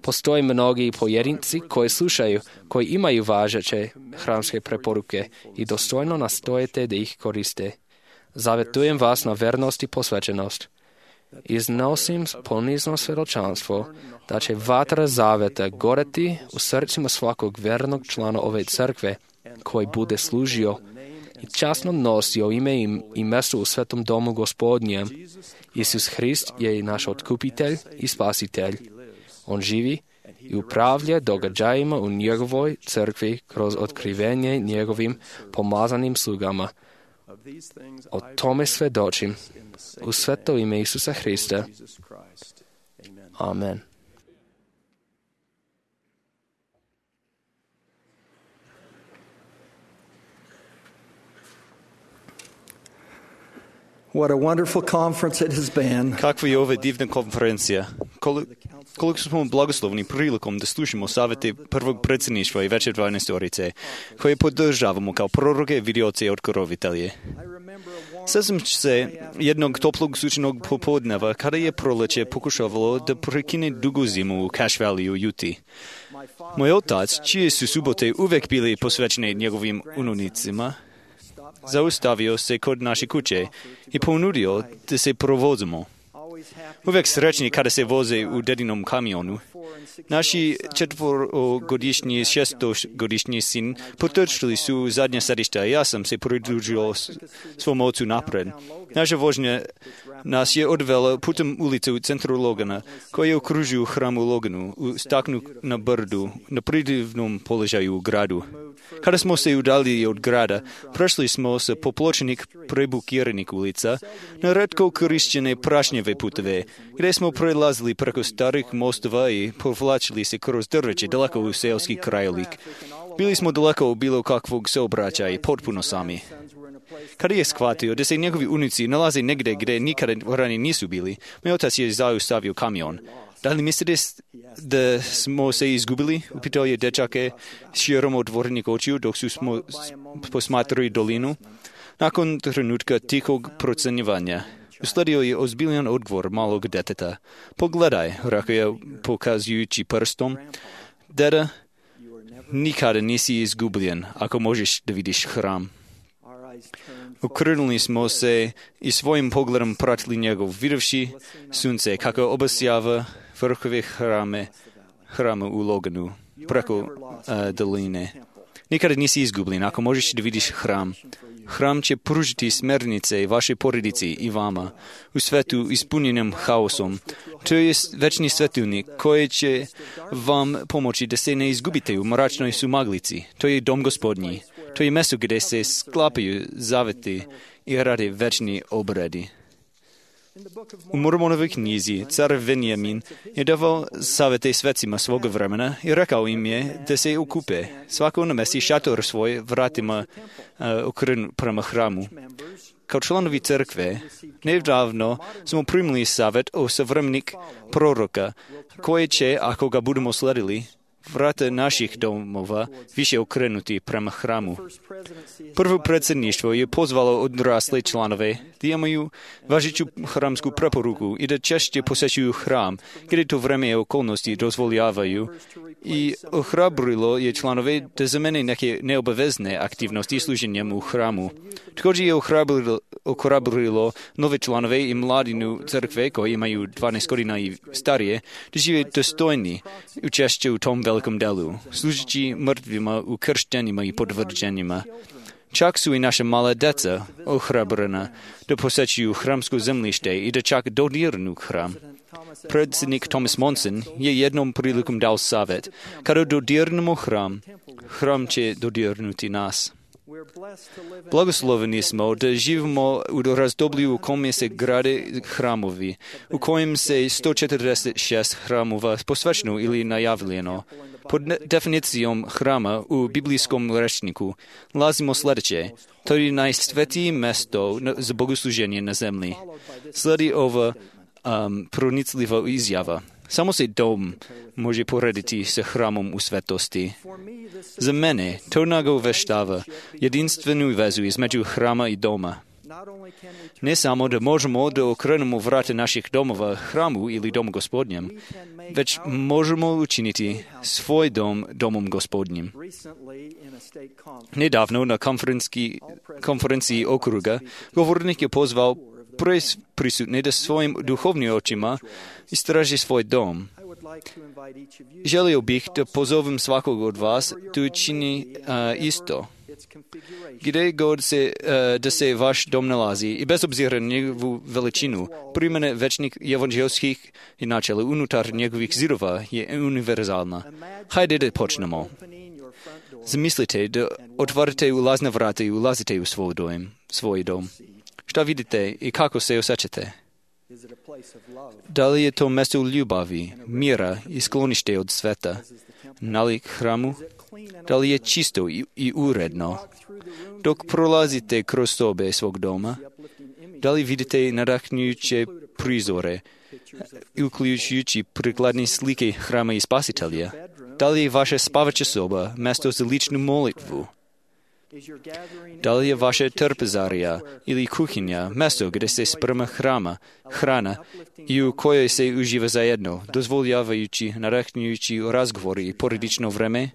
Postoje mnogi pojedinci koji slušaju, koji imaju važeće hramske preporuke i dostojno nastojete da ih koriste. Zavetujem vas na vernost i posvećenost. Iznosim ponizno svjedočanstvo da će vatra zaveta goreti u srcima svakog vernog člana ove crkve koji bude služio i časno nosio ime i mjesto u svetom domu Gospodnjem. Isus Hrist je i naš otkupitelj i spasitelj. On živi i upravlja događajima u njegovoj crkvi kroz otkrivenje njegovim pomazanim slugama. O tome svedočim u sveto ime Isusa Hrista. Amen. What a wonderful conference it has been. Kakva je ova divna konferencija. Koliko smo blagoslovni prilikom da slušamo savjete prvog predsjedništva i Veće 12-orice, koje podržavamo kao proroke, vidioce i otkrovitelje. Sjećam se jednog toplog sunčanog popodneva kada je proleće pokušavalo da prekine dugu zimu u Cache Valley u Utah. Moj otac, čije su subote uvek bili posvećene njegovim ununicima, zaustavio se kod naše kuće i ponudio da se provozimo. Uvek srećni kada se voze u dedinom kamionu. Naši 4-godišnji i 6-godišnji sin potrčili su zadnje sedišta i ja sam se pridružio svom ocu napred. Naša vožnja nas je odvela putem ulice u centru Logana, koja okružuju hram u Loganu, u staknu na brdu, na predivnom položaju u gradu. Kada smo se udaljili od grada, prešli smo sa popločenih prebukiranih ulica na retko korišćene prašnjeve puteve, gdje smo prelazili preko starih mostova i povlačili se kroz drveće daleko u seoski krajolik. Bili smo daleko od bilo kakvog saobraćaja i potpuno sami. Kada je shvatio da se njegovi unuci nalaze negdje gdje nikada ranije nisu bili, moj otac je zaustavio kamion. Da li mislite da smo se izgubili? Upitao je dečake širom otvorenih očiju dok su smo posmatrali dolinu. Nakon trenutka tihog procjenjivanja, usledio je ozbiljan odgovor malog deteta. Pogledaj, rekao je pokazujući prstom. Deda, nikada nisi izgubljen ako možeš da vidiš hram. Okrenuli smo se i svojim pogledom pratili njegov, videvši sunce kako obasjava vrhove hrama u Loganu, preko doline. Nikada nisi izgubljen ako možeš da vidiš hram. Hram će pružiti smernice vašoj porodici i vama u svetu ispunjenom haosom. To je večni svetilnik koji će vam pomoći da se ne izgubite u mračnoj sumaglici. To je dom Gospodnji. To je mjesto gdje se sklapaju zaveti i rade večni obredi. U Mormonovoj knjizi car Venjamin je davao savete svecima svoga vremena i rekao im je da se okupe. Svako namesti šator svoj vratima okren prema hramu. Kao članovi crkve, nedavno smo primili savjet o savremenik proroka, koji će, ako ga budemo sledili, vrata naših domova više okrenuti prema hramu. Prvo predsjedništvo je pozvalo odrasle članove da imaju važeću hramsku preporuku i da češće posjećuju hram, gdje to vreme i okolnosti dozvoljavaju, i ohrabrilo je članove da zamene neke neobavezne aktivnosti služenjem u hramu. Također je ohrabrilo nove članove i mladinu crkve koji imaju 12 godina i starije da žive dostojni učešće u tom velikom delu, služeći mrtvima u krštenjima i potvrđenjima. Čak su i naša mala deca ohrabrena da posjećuju hramsko zemljište i da čak dodirnu hram. Predsjednik Thomas Monson je jednom prilikom dao savjet: kada dodirnemo hram, hram će dodirnuti nas. Blagosloveni smo da živimo u razdoblju u kome se grade hramovi, u kojem se 146 hramova posvećeno ili najavljeno. Pod definicijom hrama u biblijskom rečniku nalazimo sljedeće: to je najsvetije mjesto za bogosluženje na zemlji. Slijedi ova pronicljiva izjava: samo se dom može porediti sa hramom u svetosti. Za mene to nagoveštava jedinstvenu vezu između hrama i doma. Ne samo da možemo da okrenemo vrata naših domova hramu ili domu Gospodnjem, već možemo učiniti svoj dom domom Gospodnjim. Nedavno na konferenciji okruga govornik je pozvao prisutne da svojim duhovnim očima istraži svoj dom. Želio bih da pozovem svakog od vas da učini isto. Kde god da se vaš dom nalazi i bez obzira na njegovu veličinu, primjena večnih evanđelskih i načela unutar njegovih zidova je univerzalna. Hajde da počnemo. Zamislite da otvarate ulazna vrata i ulazite u svoj dom. Šta vidite i kako se osjećate? Da li je to mjesto ljubavi, mira i sklonište od sveta? Nalik hramu? Da li je čisto i uredno? Dok prolazite kroz sobe svog doma, da li vidite nadahnjujuće prizore, uključujući prikladne slike hrama i spasitelja? Da li je vaša spavača soba mjesto za ličnu molitvu? Da li je vaša trpezarija ili kuhinja mjesto gdje se sprema hrana i u kojoj se uživa zajedno, dozvoljavajući nadahnjujući razgovori i porodično vreme?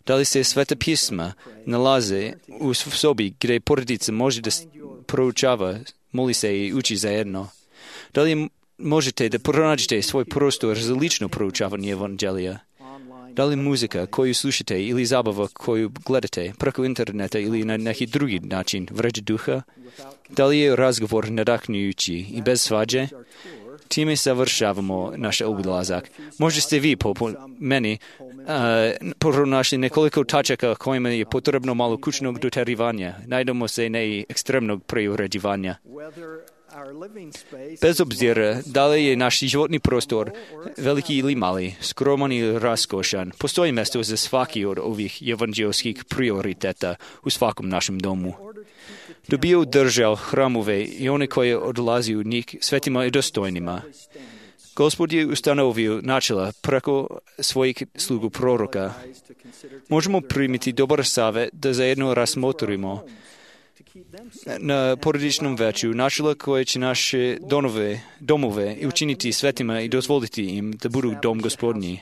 Da li se sveta pisma nalaze u sobi gdje porodica može da proučava, moli se i uči zajedno? Da li možete da pronađete svoj prostor za lično proučavanje evanđelija? Da li muzika koju slušate ili zabava koju gledate preko interneta ili na neki drugi način vređa duha? Da li je razgovor nadahnjujući i bez svađe? Time završavamo naš obilazak. Možda ste vi, po meni, pronašli nekoliko tačaka kojima je potrebno malo kućnog doterivanja. Najdemo se ne ekstremnog preuređivanja. Bez obzira da li je naš životni prostor veliki ili mali, skroman ili raskošan, postoji mjesto za svaki od ovih evanđelskih prioriteta u svakom našem domu. Da bi održao hramove i one koje odlazi u njih svetima i dostojnima. Gospod je ustanovio načela preko svojih slugu proroka. Možemo primiti dobar savjet da zajedno razmotrimo na porodičnom veću načela koje će naše domove učiniti svetima i dozvoliti im da budu dom Gospodnji.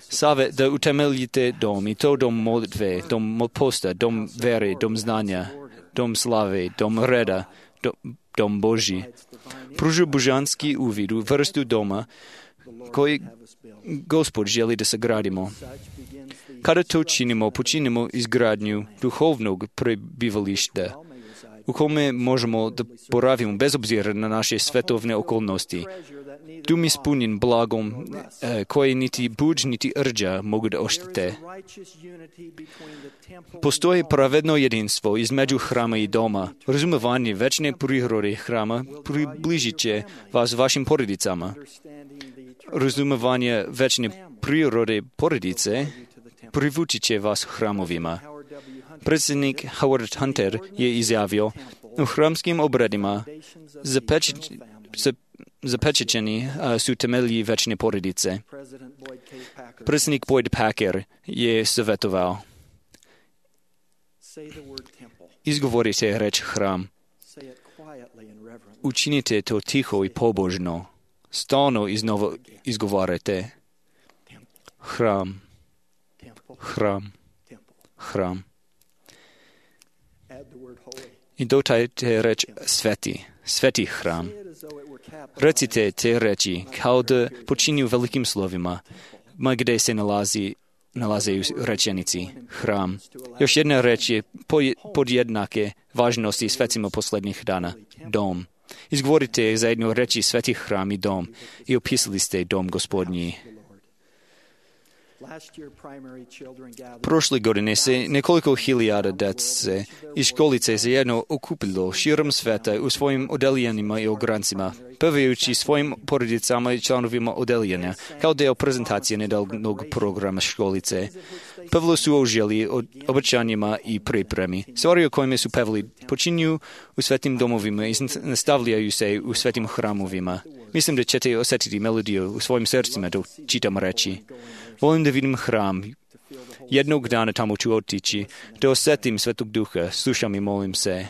Savjet da utemeljite dom i to dom molitve, dom posta, dom vere, dom znanja, dom slave, dom reda, dom Božji. Pruža božanski uvid u vrstu doma koji Gospod želi da sagradimo. Kada to činimo, počinimo izgradnju duhovnog prebivališta, u kome možemo da boravimo bez obzira na naše svetovne okolnosti. Dom ispunjen blagom koje niti buđ niti rđa mogu da oštete. Postoji pravedno jedinstvo između hrama i doma. Razumevanje večne prirode hrama približit će vas vašim porodicama. Razumevanje večne prirode porodice privući će vas hramovima. Predsjednik Howard Hunter je izjavio, u hramskim obredima zapečećeni su temelji večne porodice. Predsjednik Boyd Packer je savjetovao, izgovorite reč hram. Učinite to tiho i pobožno. Stalno iznova izgovarajte hram, hram, hram. I dodajte reč sveti hram. Recite te reči kao da počinju velikim slovima, ma gdje se nalaze u rečenici hram. Još jedna reč je podjednake važnosti svetima posljednjih dana, dom. Izgovorite zajedno reči sveti hram i dom i opisali ste dom Gospodnji. Prošle godine se nekoliko hiljada djece iz školice zajedno okupilo širom sveta u svojim odeljenjima i ograncima, pevajući svojim porodicama i članovima odeljenja, kao deo prezentacije nedavnog programa školice. Pevali su o želji, o obećanjima i pripremi. Stvari o kojima su pevali počinju u svetim domovima i nastavljaju se u svetim hramovima. Mislim da ćete osjetiti melodiju u svojim srcima dok čitam reči. Volim da vidim hram. Jednog dana tamo ću otići, da osjetim Svetog Duha, slušam i molim se.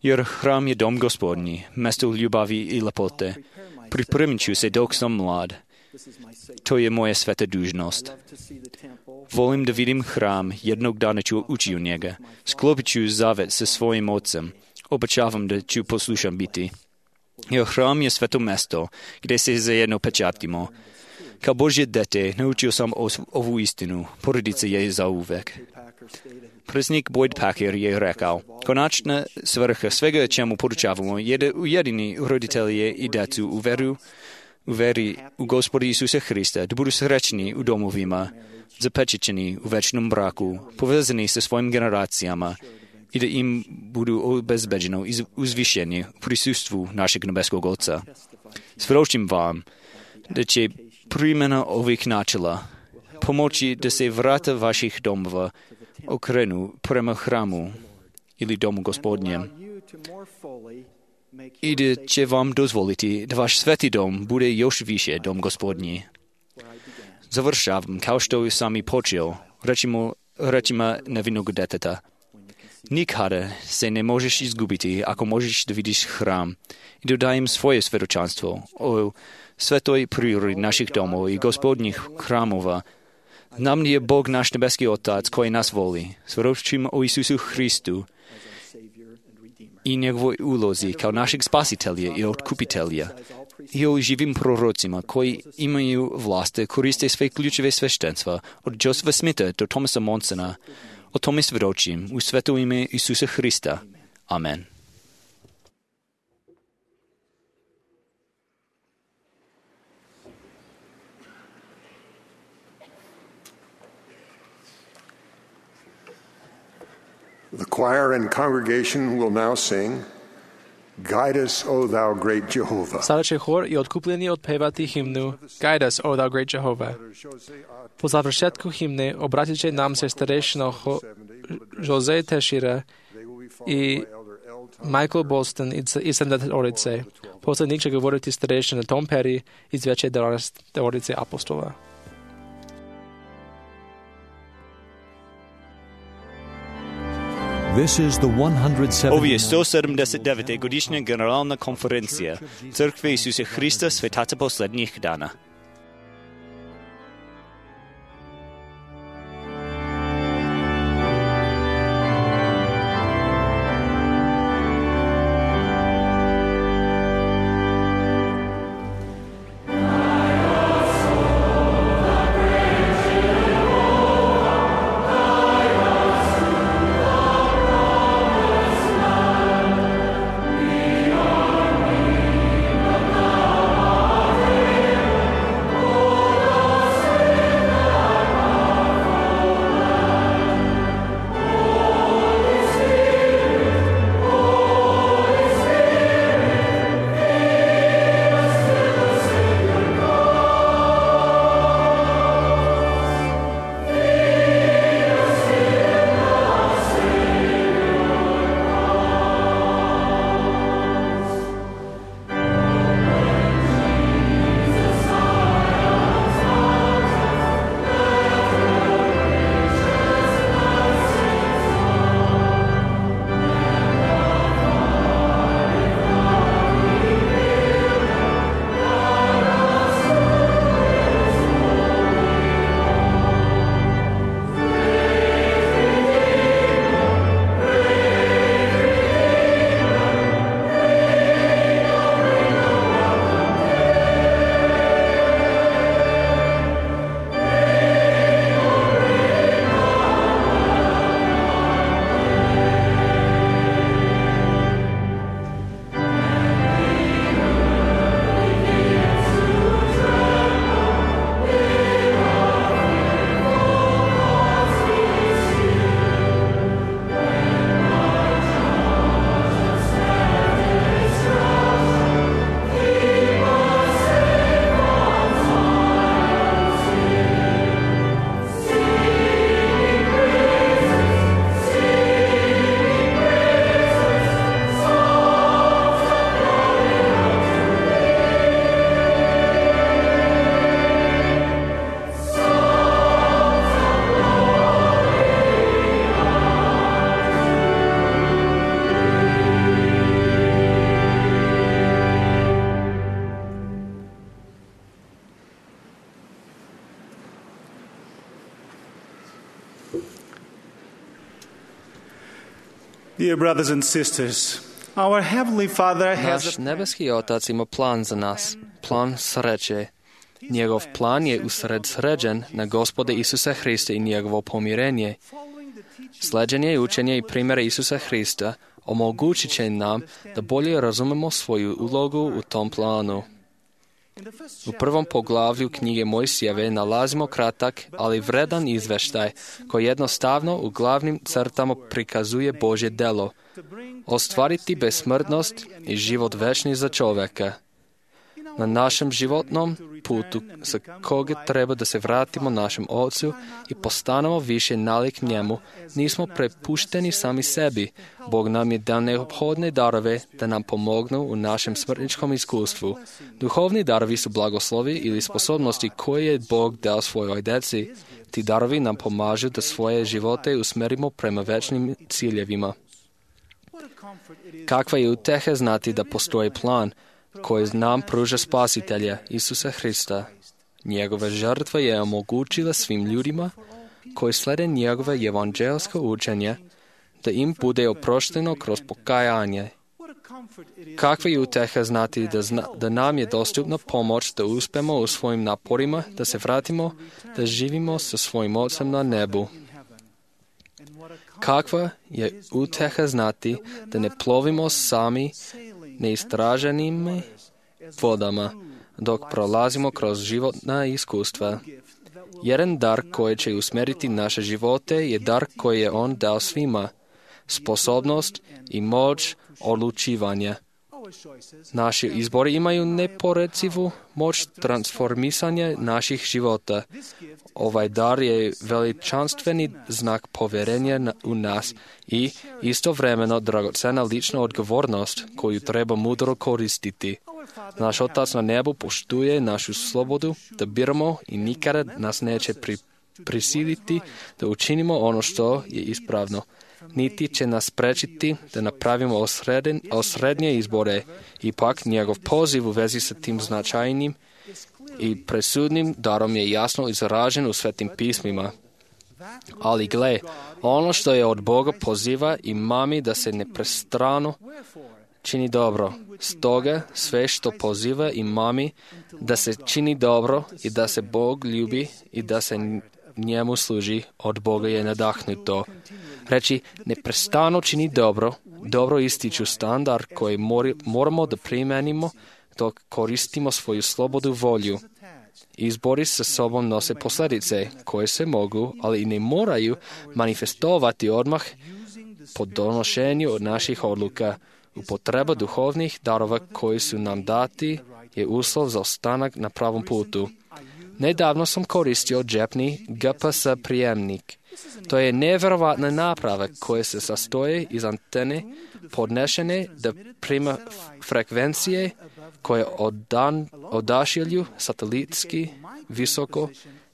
Jer hram je dom Gospodnji, mjesto ljubavi i lepote. Pripremit ću se dok sam mlad. To je moja sveta dužnost. Volim da vidim hram, jednog dana ću ući u njega. Sklopit ću zavet sa svojim ocem. Obećavam da ću poslušan biti. Jer hram je sveto mjesto, gdje se zajedno pečatimo. Kao Božje dete naučio sam ovu istinu, porodice je zauvek. Predsjednik Boyd Packer je rekao, konačna svrha svega čemu poručavamo je da ujedini roditelje i djecu u veri u Gospoda Isusa Hrista, da budu srećni u domovima, zapečećeni u večnom braku, povezani sa svojim generacijama i da im budu obezbeđeno uzvišenje u prisustvu našeg nebeskog Oca. Svjedočim vam da će primjena ovih načela pomoći da se vrata vaših domova okrenu prema hramu ili domu Gospodnjem i da će vam dozvoliti da vaš sveti dom bude još više dom Gospodnji. Završavam kao što sam i počeo, rečima nevinnog deteta. Nikada se ne možeš izgubiti ako možeš da vidiš hram i da dajem svoje svjedočanstvo o svetoj prirodi naših domova i Gospodnjih hramova. Znam da je Bog naš nebeski Otac koji nas voli. Svjedočim o Isusu Hristu i njegovoj ulozi kao našeg spasitelja i otkupitelja i o živim prorocima koji imaju vlast da koriste sve ključeve sveštenstva od Josefa Smitha do Thomasa Monsona. O tome svjedočim u sveto ime Isusa Hrista. Amen. The choir and congregation will now sing, Guide us, O thou great Jehovah. Sada će hor i otkupljeni otpevati himnu Guide us, O thou great Jehovah. Po završetku himne obratit će nam se starešina Jose Tešira i Michael Bolston iz 70-orice. Posljednik će govoriti starešina Tom Perry iz veće 12-orice apostola. Ovo je 179. godišnja generalna konferencija Crkve Isusa Hrista svetaca posljednjih dana. Dear brothers and sisters, our Heavenly Father has Naš nebeski Otac ima plan za nas, plan sreće. Njegov plan je usredsređen na Gospoda Isusa Hrista i njegovo pomirenje. Sleđenje učenja i primjera Isusa Hrista omogućit će nam da bolje razumemo svoju ulogu u tom planu. U prvom poglavlju knjige Mojsijeve nalazimo kratak, ali vredan izveštaj koji jednostavno u glavnim crtama prikazuje Božje delo, ostvariti besmrtnost i život večni za čovjeka. Na našem životnom putu sa koga treba da se vratimo našem Ocu i postanemo više nalik njemu, nismo prepušteni sami sebi. Bog nam je dao neophodne darove da nam pomognu u našem smrtničkom iskustvu. Duhovni darovi su blagoslovi ili sposobnosti koje je Bog dao svojoj djeci. Ti darovi nam pomažu da svoje živote usmerimo prema večnim ciljevima. Kakva je uteha znati da postoji plan koji nam pruža Spasitelja, Isusa Hrista. Njegova žrtva je omogućila svim ljudima koji slede njegove evanđelsko učenje da im bude oprošteno kroz pokajanje. Kakva je uteha znati da nam je dostupna pomoć da uspemo u svojim naporima, da se vratimo, da živimo sa svojim Ocem na nebu. Kakva je uteha znati da ne plovimo sami neistraženim vodama, dok prolazimo kroz životna iskustva. Jedan dar koji će usmjeriti naše živote je dar koji je On dao svima, sposobnost i moć odlučivanja. Naši izbori imaju neporecivu moć transformisanja naših života. Ovaj dar je veličanstveni znak povjerenja u nas i istovremeno dragocena lična odgovornost koju treba mudro koristiti. Naš Otac na nebu poštuje našu slobodu da biramo i nikada nas neće prisiliti da učinimo ono što je ispravno. Niti će nas sprečiti da napravimo osrednje izbore. Ipak njegov poziv u vezi sa tim značajnim i presudnim darom je jasno izražen u Svetim pismima. Ali gle, ono što je od Boga poziva i mami da se neprestano čini dobro. Stoga sve što poziva i mami da se čini dobro i da se Bog ljubi i da se njemu služi, od Boga je nadahnuto. Reći neprestano čini dobro ističu standard koji moramo da primenimo dok koristimo svoju slobodu volju. Izbori sa sobom nose posljedice koje se mogu, ali i ne moraju manifestovati odmah po donošenju od naših odluka. Upotreba duhovnih darova koji su nam dati je uslov za ostanak na pravom putu. Nedavno sam koristio džepni GPS prijemnik. To je nevjerovatna naprava koja se sastoji iz antene podnešene da prima frekvencije koje odašilju satelitski visoko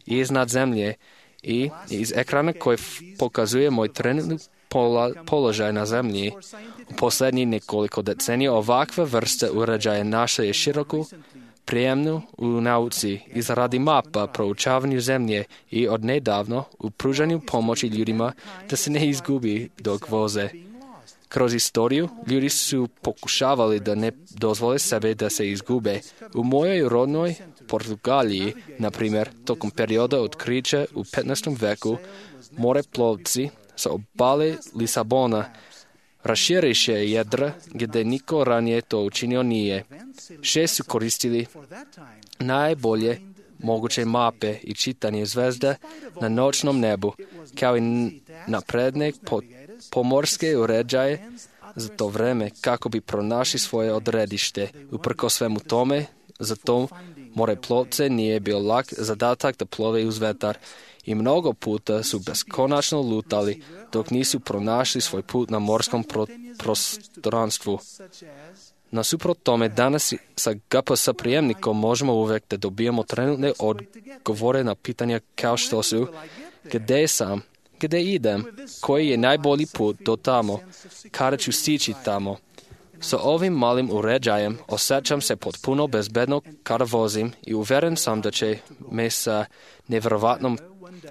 iznad zemlje i iz ekrana koji pokazuje moj trenutni položaj na zemlji. U posljednjih nekoliko decenija ovakva vrsta uređaja našla je široku prijemnu u nauci, izradi mapa, proučavanju zemlje i odnedavno u pružanju pomoći ljudima da se ne izgubi dok voze. Kroz istoriju ljudi su pokušavali da ne dozvole sebe da se izgube. U mojoj rodnoj Portugaliji, na primjer, tokom perioda otkrića u 15. veku, moreplovci sa obale Lisabona raširiše jedra gdje niko ranije to učinio nije. 6 su koristili najbolje moguće mape i čitanje zvezda na noćnom nebu, kao i napredne pomorske uređaje za to vreme kako bi pronašli svoje odredište. Uprkos svemu tome, za to moreplovce nije bio lak zadatak da plove uz vetar i mnogo puta su beskonačno lutali dok nisu pronašli svoj put na morskom prostranstvu. Nasuprot tome, danas sa GPS prijemnikom možemo uvijek da dobijemo trenutne odgovore na pitanja kao što su gdje sam, gdje idem, koji je najbolji put do tamo, kada ću stići tamo. Sa ovim malim uređajem osjećam se potpuno bezbedno kada vozim i uvjeren sam da će me sa nevjerovatnom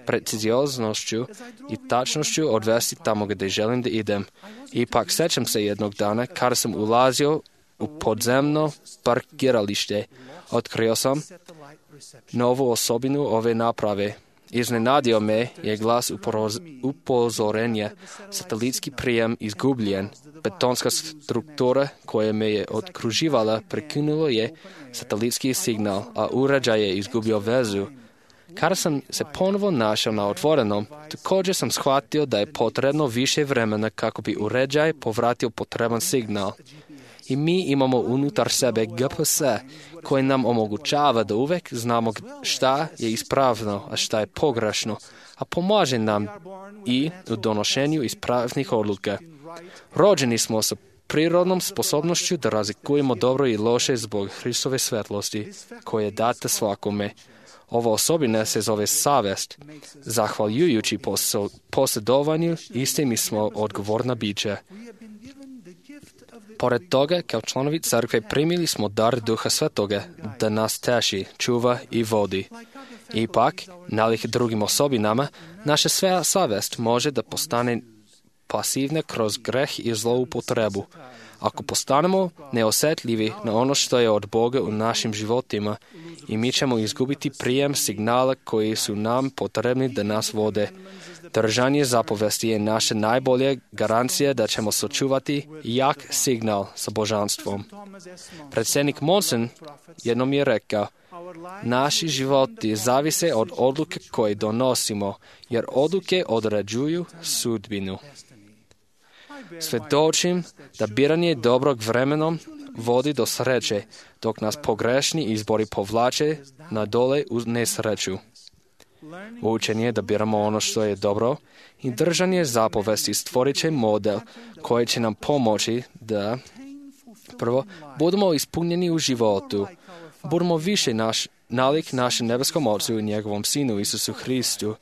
precizioznošću i tačnošću odvesti tamo gdje želim da idem. Ipak sjećam se jednog dana kada sam ulazio u podzemno parkiralište. Otkrio sam novu osobinu ove naprave. Iznenadio me je glas upozorenja. Satelitski prijem izgubljen. Betonska struktura koja me je okruživala prekinulo je satelitski signal, a uređaj je izgubio vezu. Kada sam se ponovo našao na otvorenom, također sam shvatio da je potrebno više vremena kako bi uređaj povratio potreban signal. I mi imamo unutar sebe GPS koji nam omogućava da uvek znamo šta je ispravno, a šta je pogrešno, a pomaže nam i u donošenju ispravnih odluka. Rođeni smo sa prirodnom sposobnošću da razlikujemo dobro i loše zbog Hristove svetlosti, koje je data svakome. Ova osobina se zove savest. Zahvaljujući posjedovanju, iste mi smo odgovorna bića. Pored toga, kao članovi crkve primili smo dar Duha Svetoga da nas teši, čuva i vodi. Ipak, nalik drugim osobinama, naša sva savest može da postane pasivna kroz greh i zloupotrebu. Ako postanemo neosjetljivi na ono što je od Boga u našim životima, i mi ćemo izgubiti prijem signala koji su nam potrebni da nas vode. Držanje zapovesti je naša najbolja garancija da ćemo sačuvati jak signal sa božanstvom. Predsjednik Monson jednom je rekao, naši životi zavise od odluke koje donosimo, jer odluke određuju sudbinu. Svjedočim da biranje dobrog vremenom vodi do sreće, dok nas pogrešni izbori povlače na dole uz nesreću. Učenje da biramo ono što je dobro i držanje zapovesti stvorit će model koji će nam pomoći da prvo budemo ispunjeni u životu, budemo više nalik našem nebeskom Ocu i njegovom Sinu Isusu Hristu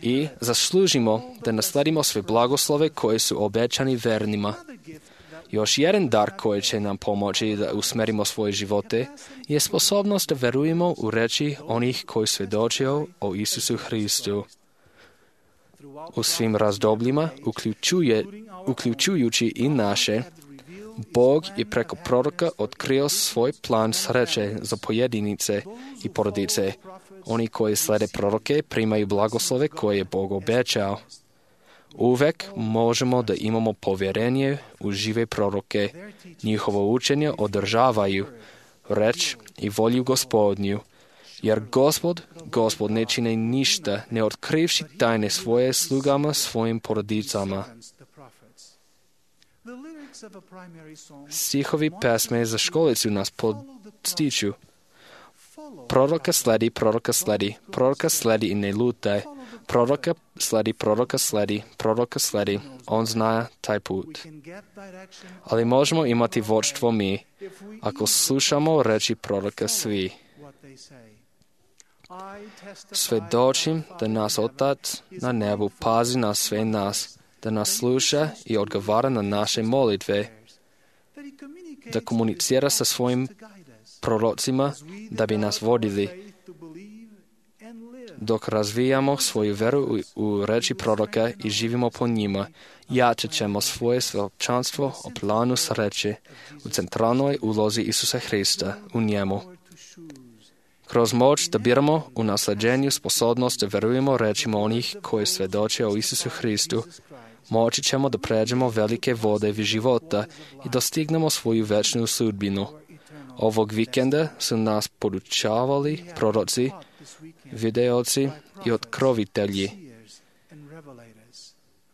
i zaslužimo da nasledimo sve blagoslove koje su obećani vernima. Još jedan dar koji će nam pomoći da usmerimo svoje živote je sposobnost da verujemo u reči onih koji svjedočio o Isusu Hristu. U svim razdobljima, uključujući i naše, Bog je preko proroka otkrio svoj plan sreće za pojedinice i porodice. Oni koji slede proroke primaju blagoslove koje je Bog obećao. Uvek možemo da imamo povjerenje u žive proroke. Njihovo učenje održavaju reč i volju Gospodnju. Jer Gospod ne čini ništa, ne otkrivši tajne svoje slugama, svojim porodicama. Stihovi pesme za školicu nas podstiču. Proroka sledi, proroka sledi, proroka sledi i ne lutaj. Proroka sledi, proroka sledi, proroka sledi. On zna taj put. Ali možemo imati vodstvo mi, ako slušamo reči proroka svi. Svjedočim da nas Otac na nebu pazi na sve nas, da nas sluša i odgovara na naše molitve, da komunicira sa svojim prorocima da bi nas vodili. Dok razvijamo svoju veru u reči proroka i živimo po njima, jačat ćemo svoje sveopćanstvo o planu sreće u centralnoj ulozi Isusa Hrista u njemu. Kroz moć da biramo u nasljeđenju sposobnost da verujemo rečima onih koji svjedoče o Isusu Hristu, moći ćemo da pređemo velike vode života i dostignemo svoju večnu sudbinu. Ovog vikenda su nas podučavali proroci, videoci i otkrovitelji.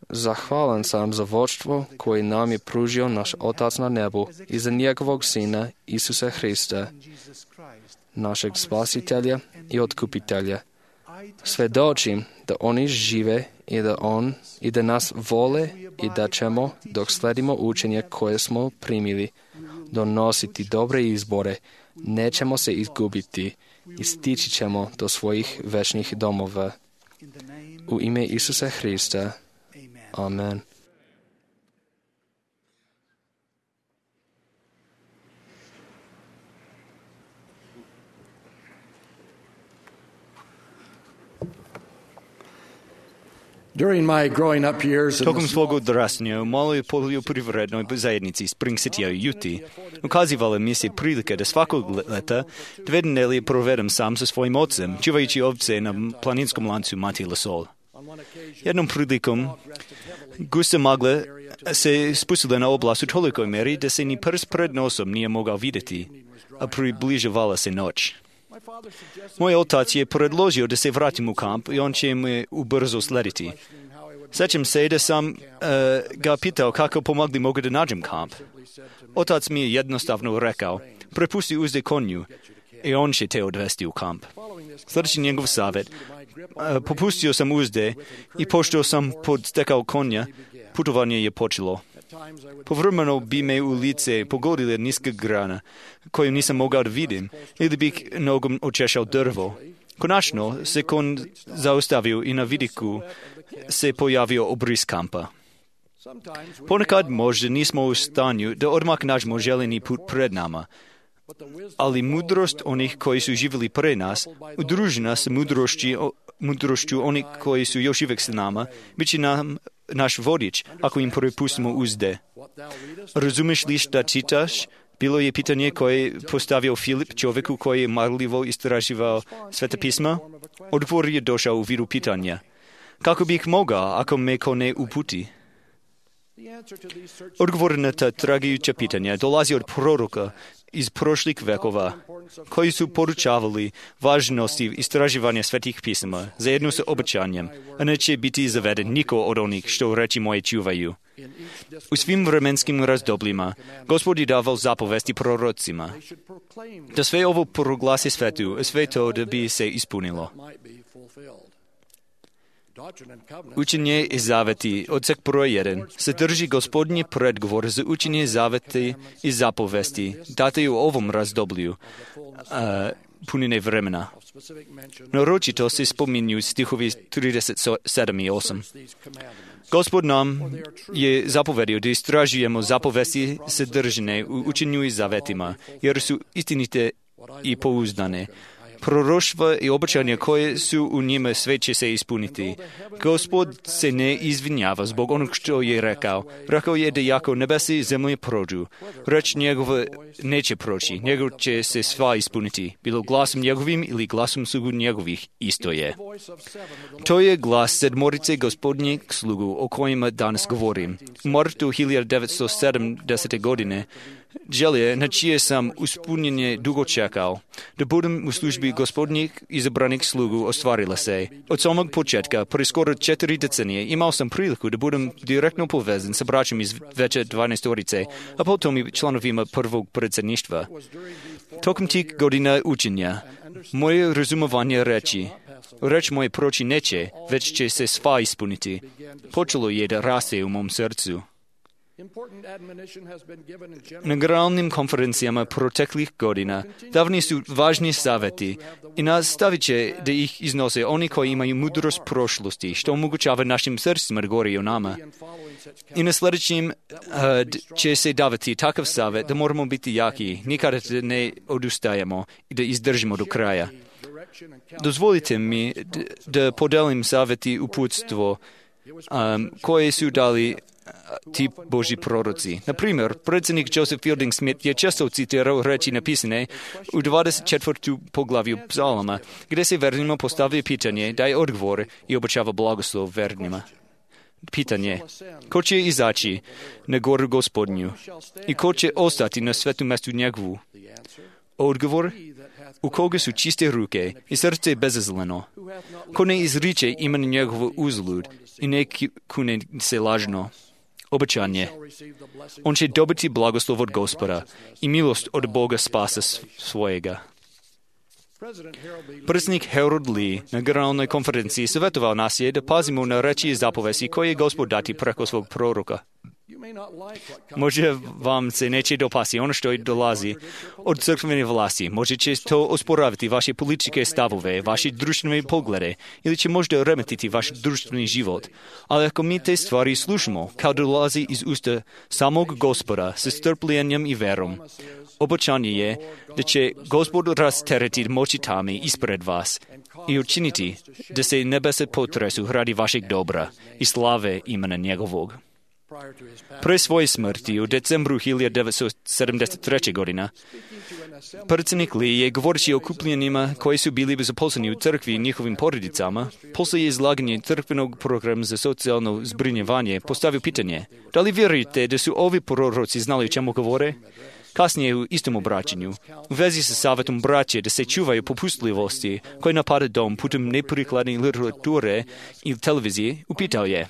Zahvalan sam za vodstvo koje nam je pružio naš Otac na nebu i za njegovog Sina Isusa Hrista, našeg Spasitelja i Otkupitelja. Svjedočim da oni žive i da nas vole i da ćemo, dok sledimo učenje koje smo primili, donositi dobre izbore, nećemo se izgubiti i stići ćemo do svojih večnih domova. U ime Isusa Hrista. Amen. During my growing up years in Tokom the svog odrastanja u maloj poljoprivrednoj zajednici Spring City u Juti ukazivala mi se prilika da svakog leta 2 nedelje provedem sam sa svojim ocem, čuvajući ovce na planinskom lancu Mati Lasol. Jednom prilikom gusta magla se spustila na oblast u tolikoj meri da se ni prst pred nosom nije mogao vidjeti, a približavala se noć. Moj otac je predložio da se vratim u kamp i on će me ubrzo slediti. Sjećam se da sam ga pitao kako pomogli mogu da nađem kamp. Otac mi je jednostavno rekao, prepusti uzde konju i on će te odvesti u kamp. Sljedeći njegov savjet, popustio sam uzde i pošto sam podstekao konja, putovanje je počelo. Povremeno bi me u lice pogodila niska grana, koju nisam mogao da vidim, ili bih nogom očešao drvo. Konačno se kon zaustavio i na vidiku se pojavio obris kampa. Ponekad možda nismo u stanju da odmah nađemo željeni put pred nama, ali mudrost onih koji su živjeli pre nas, udružena s mudrošću onih koji su još uvijek s nama, bit će nam naš vodič ako im prepustimo uzde. Razumiješ li šta čitaš? Bilo je pitanje koje je postavio Filip čovjeku koji je marljivo istraživao Sveta pisma. Odgovor je došao u vidu pitanja. Kako bih mogao ako me ko ne uputi? Odgovor na ta tragajuća pitanja dolazi od proroka iz prošlih vekova, koji su poručavali važnosti istraživanja svetih pisama zajedno sa obećanjem, a neće biti zaveden niko od onih što reči moje čuvaju. U svim vremenskim razdobljima Gospod je davao zapovesti prorocima, da sve ovo proglasi svetu, a sve to da bi se ispunilo. Učenje i zaveti, odsek broj 1, sadrži Gospodnji predgovor za učenje zaveti i zapovesti, date u ovom razdoblju punine vremena. Naročito se spominju stihovi 37 i 8. Gospod nam je zapovedio da istražujemo zapovesti sadržane u učenju i zavetima, jer su istinite i pouzdane. Proroštva i obećanja koje su u njima sve će se ispuniti. Gospod se ne izvinjava zbog onog što je rekao. Rekao je da jako nebesi i zemlje prođu. Reč njegova neće proći, nego će se sva ispuniti. Bilo glasom njegovim ili glasom slugu njegovih, isto je. To je glas sedmorice Gospodnjeg slugu o kojima danas govorim. U martu 1970. godine želje na čije sam ispunjenje dugo čekao, da budem u službi Gospodnjih izabranih slugu ostvarila se. Od samog početka, pre skoro 4 decenije, imao sam priliku da budem direktno povezan sa braćom iz veće 12-orice, a potom i članovima prvog predsjedništva. Tokom tih godina učenja, moje razumovanje reč moje proći neće, već će se sva ispuniti, počelo je da raste u mom srcu. Na generalnim konferencijama proteklih godina davni su važni savjeti i nastavit će da ih iznose oni koji imaju mudrost prošlosti, što omogućava našim srcima da govori o nama. I na sljedećim će se davati takav savjet da moramo biti jaki, nikada ne odustajemo i da izdržimo do kraja. Dozvolite mi da podelim savjeti uputstvo koje su dali ti Božji proroci. Na primjer, predsjednik Joseph Fielding Smith je često citirao reči napisane u 24. poglavlju psalama, gdje se vernima postavlja pitanje, daje odgovor i obećava blagoslov vernima. Pitanje, ko će izaći na goru Gospodnju i ko će ostati na svetom mjestu njegovu? Odgovor, u koga su čiste ruke i srce bezazleno, ko ne izriče imen njegovo uzlud i ne kune se lažno. Obećanje. On će dobiti blagoslov od Gospoda i milost od Boga spasa svojega. Predsjednik Harold Lee na generalnoj konferenciji savjetovao nas je da pazimo na reči i zapovesti koje je Gospod dati preko svog proroka. Možda vam se neće dopasti ono što dolazi od crkvene vlasti. Možda će to osporavati vaše političke stavove, vaše društvene poglede ili će možda remetiti vaš društveni život. Ali ako mi te stvari slušamo, kao dolazi iz usta samog Gospoda sa strpljenjem i verom, obećanje je da će Gospod rasteretiti močitami ispred vas i učiniti da se nebesa potresu radi vašeg dobra i slave imena njegovog. Pre svoje smrti u decembru 1973. godina, predsjednik Lee je govoreći o okupljenima koji su bili zaposleni u crkvi i njihovim porodicama, poslije izlaganja crkvenog programa za socijalno zbrinjavanje, postavio pitanje: da li vjerujete da su ovi proroci znali o čemu govore? Kasnije u istom obraćanju, u vezi sa savjetom braće da se čuvaju popustljivosti koji napada dom putem neprikladne literature i televizije, upitao je: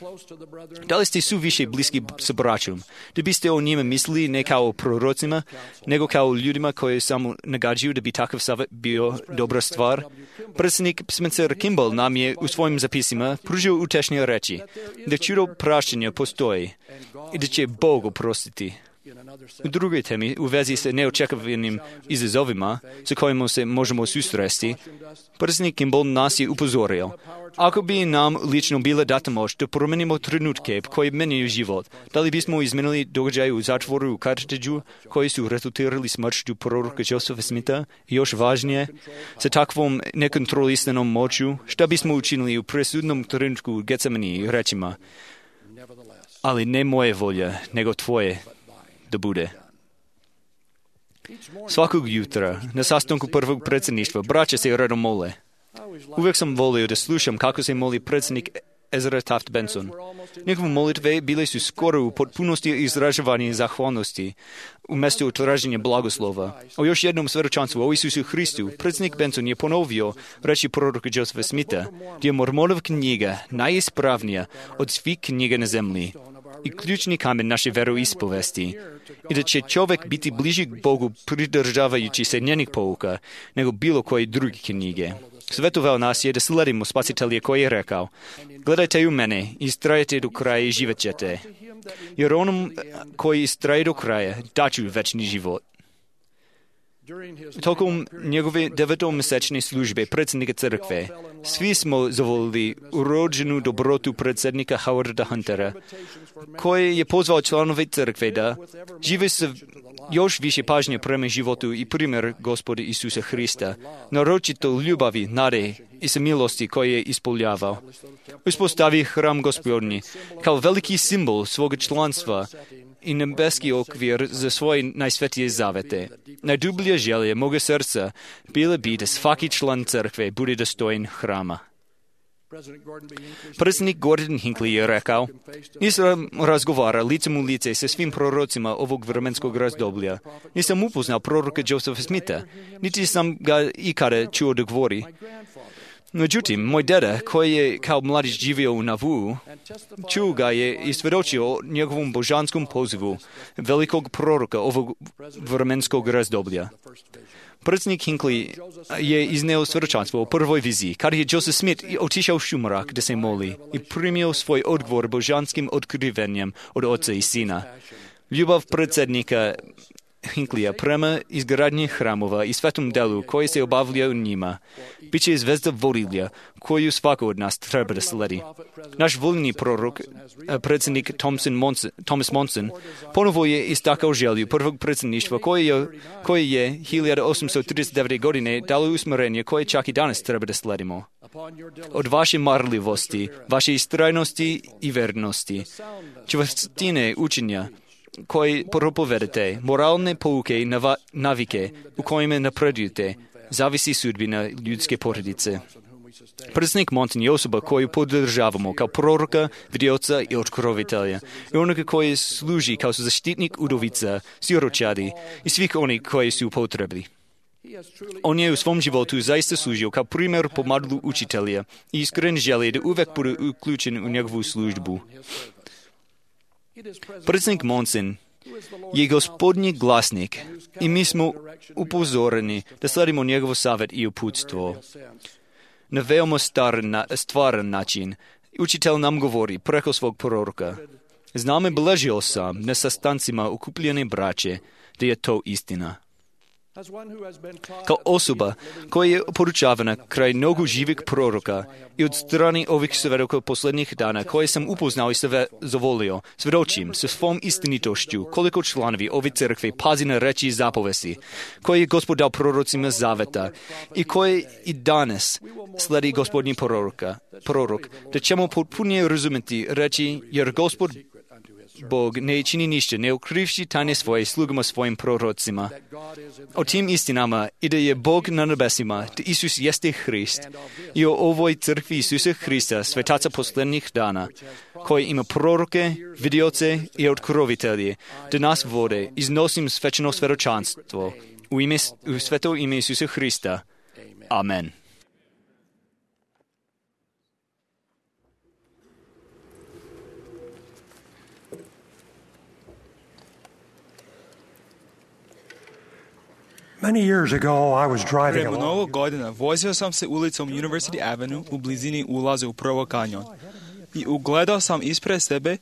da li ste suviše bliski sa braćom, da biste o njima mislili ne kao o prorocima, nego kao o ljudima koji samo nagađaju da bi takav savjet bio dobra stvar? Predsjednik Spencer Kimball nam je u svojim zapisima pružio utešne reči da čudo prašćenja postoji i da će Bog oprostiti. U drugoj temi, u vezi sa neočekivanim izazovima sa kojima se možemo susresti, predsjednik Kimball nas je upozorio: ako bi nam lično bila data moć da promenimo trenutke koji menjaju život, da li bismo izmenili događaje u zatvoru u Carthageu koji su rezultirali smrću proroka Josepha Smitha i još važnije, sa takvom nekontrolisanom moću, šta bismo učinili u presudnom trenutku u Getsemaniji rečima: ali ne moje volja, nego tvoje da bude. Svakog jutra, na sastanku prvog predsjedništva, braća se redom mole. Uvijek sam volio da slušam kako se moli predsjednik Ezra Taft Benson. Njegove molitve bile su skoro u potpunosti izražavanje zahvalnosti umjesto traženja blagoslova. O još jednom svjedočanstvu o Isusu Hristu, predsjednik Benson je ponovio reči proroka Josepha Smitha, da je Mormonova knjiga najispravnija od svih knjiga na zemlji i ključni kamen naše veroispovesti, i da će čovjek biti bliži Bogu pridržavajući se njenih pouka nego bilo koje druge knjige. Svetovao nas je da sledimo Spasitelja koji je rekao: gledajte u mene, istrajete do kraja i živet ćete, jer onom koji istraje do kraja daću večni život. Tokom njegove 9-mjesečne službe predsjednika crkve, svi smo zavolili urođenu dobrotu predsjednika Howarda Huntera, koji je pozvao članove crkve da žive sa još više pažnje prema životu i primjer Gospoda Isusa Hrista, naročito ljubavi, nade i sa milosti koje je ispoljavao. Uspostavi hram Gospodnji kao veliki simbol svoga članstva i nebeski okvir za svoje najsvetije zavete. Najdublje želje moga srca bile bi da svaki član crkve bude dostojen hrama. Predsjednik Gordon Hinckley je rekao: nisam razgovara licem u lice sa svim prorocima ovog vremenskog razdoblja. Nisam upoznao proroka Josepha Smitha, niti sam ga ikada čuo da govori. Međutim, moj deda, koji je kao mladić živio u Nauvoo, čuo ga je i svjedočio o njegovom božanskom pozivu velikog proroka ovog vremenskog razdoblja. Predsjednik Hinckley je izneo svjedočanstvo o prvoj viziji, kada je Joseph Smith otišao u šumarak da se moli i primio svoj odgovor božanskim otkrivenjem od oca i sina. Ljubav predsjednika Hinckleyja prema izgradnji hramova i svetom delu koji se obavlja u njima bit će zvezda vodilja koju svako od nas treba da sledi. Naš voljni prorok, predsjednik Thomas Monson, ponovo je istakao želju prvog predsjedništva koje je 1839. godine dalo usmjerenje koje čak i danas treba da sledimo. Od vaše marljivosti, vaše istrajnosti i vernosti, čvrstine učenja koji propovedete, moralne pouke i navike u kojima napredujete, zavisi sudbina ljudske porodice. Predsjednik Monson je osoba koju podržavamo kao proroka, vidioca i otkrovitelja, i onoga koji služi kao zaštitnik udovica, siročadi i svih onih koji su potrebni. On je u svom životu zaista služio kao primjer pomadlu učitelja i iskren želi da uvijek bude uključen u njegovu službu. Predsjednik Monson je Gospodnji glasnik i mi smo upozoreni da sledimo njegov savjet i uputstvo. Na veoma stvaran način učitelj nam govori preko svog proroka: znam i beležio sam na sastancima okupljene braće da je to istina. Kao osoba koja je poručavana kraj nogu živih proroka i od strani ovih svedoka posljednjih dana koje sam upoznao i zavolio, svedočim sa svom istinitošću koliko članovi ove crkve pazi na reči i zapovesti koje je Gospod dao prorocima zaveta i koje i danas sledi Gospodnji prorok, da ćemo potpunije razumjeti reči, jer Gospod Bog ne čini ništa, ne ukrivši tajne svoje slugama svojim prorocima. O tim istinama i da je Bog na nebesima, da Isus jeste Hrist, i o ovoj crkvi Isusa Hrista, svetaca posljednjih dana, koji ima proroke, vidioce i otkrovitelje, da nas vode, iznosim svečano svedočanstvo u sveto ime Isusa Hrista. Amen. Prije mnogo godina vozio sam se ulicom University Avenue u blizini ulaza u Provo kanjon i ugledao sam ispred sebe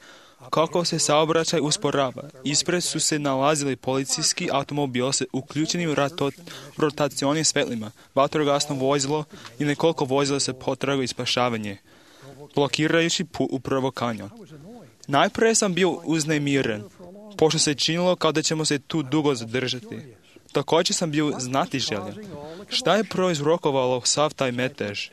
kako se saobraćaj usporava. Ispred su se nalazili policijski automobil s uključenim rotacionim svetlima, vatrogasno vozilo i nekoliko vozila se potragu i spašavanje, blokirajući put u Provo kanjon. Najprije sam bio uznemiren, pošto se činilo kao da ćemo se tu dugo zadržati. Također sam bio znatiželjan. Šta je prouzrokovalo sav taj metež?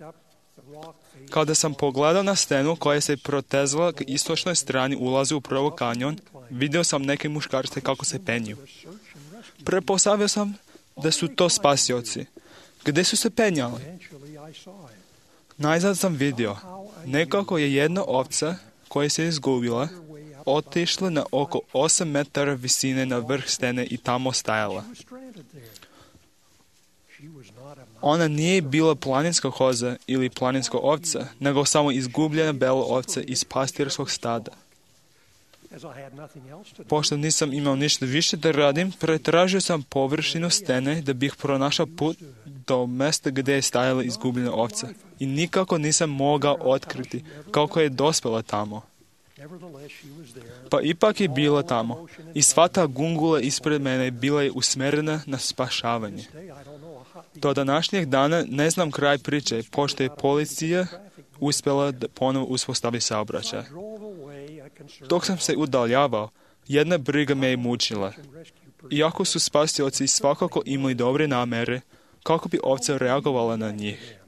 Kada sam pogledao na stenu koja se protezala k istočnoj strani ulaza u Provo kanjon, vidio sam neke muškarce kako se penju. Pretpostavio sam da su to spasioci. Gdje su se penjali? Najzad sam vidio. Nekako je jedna ovca koja se izgubila otišla na oko 8 metara visine na vrh stene i tamo stajala. Ona nije bila planinska koza ili planinska ovca, nego samo izgubljena bela ovca iz pastirskog stada. Pošto nisam imao ništa više da radim, pretražio sam površinu stene da bih pronašao put do mjesta gdje je stajala izgubljena ovca i nikako nisam mogao otkriti kako je dospjela tamo. Pa ipak je bila tamo i sva ta gungula ispred mene bila je usmjerena na spašavanje. Do današnjeg dana ne znam kraj priče, pošto je policija uspjela da ponovo uspostavi saobraćaj. Dok sam se udaljavao, jedna briga me je mučila. Iako su spasioci svakako imali dobre namere, kako bi ovca reagovala na njih?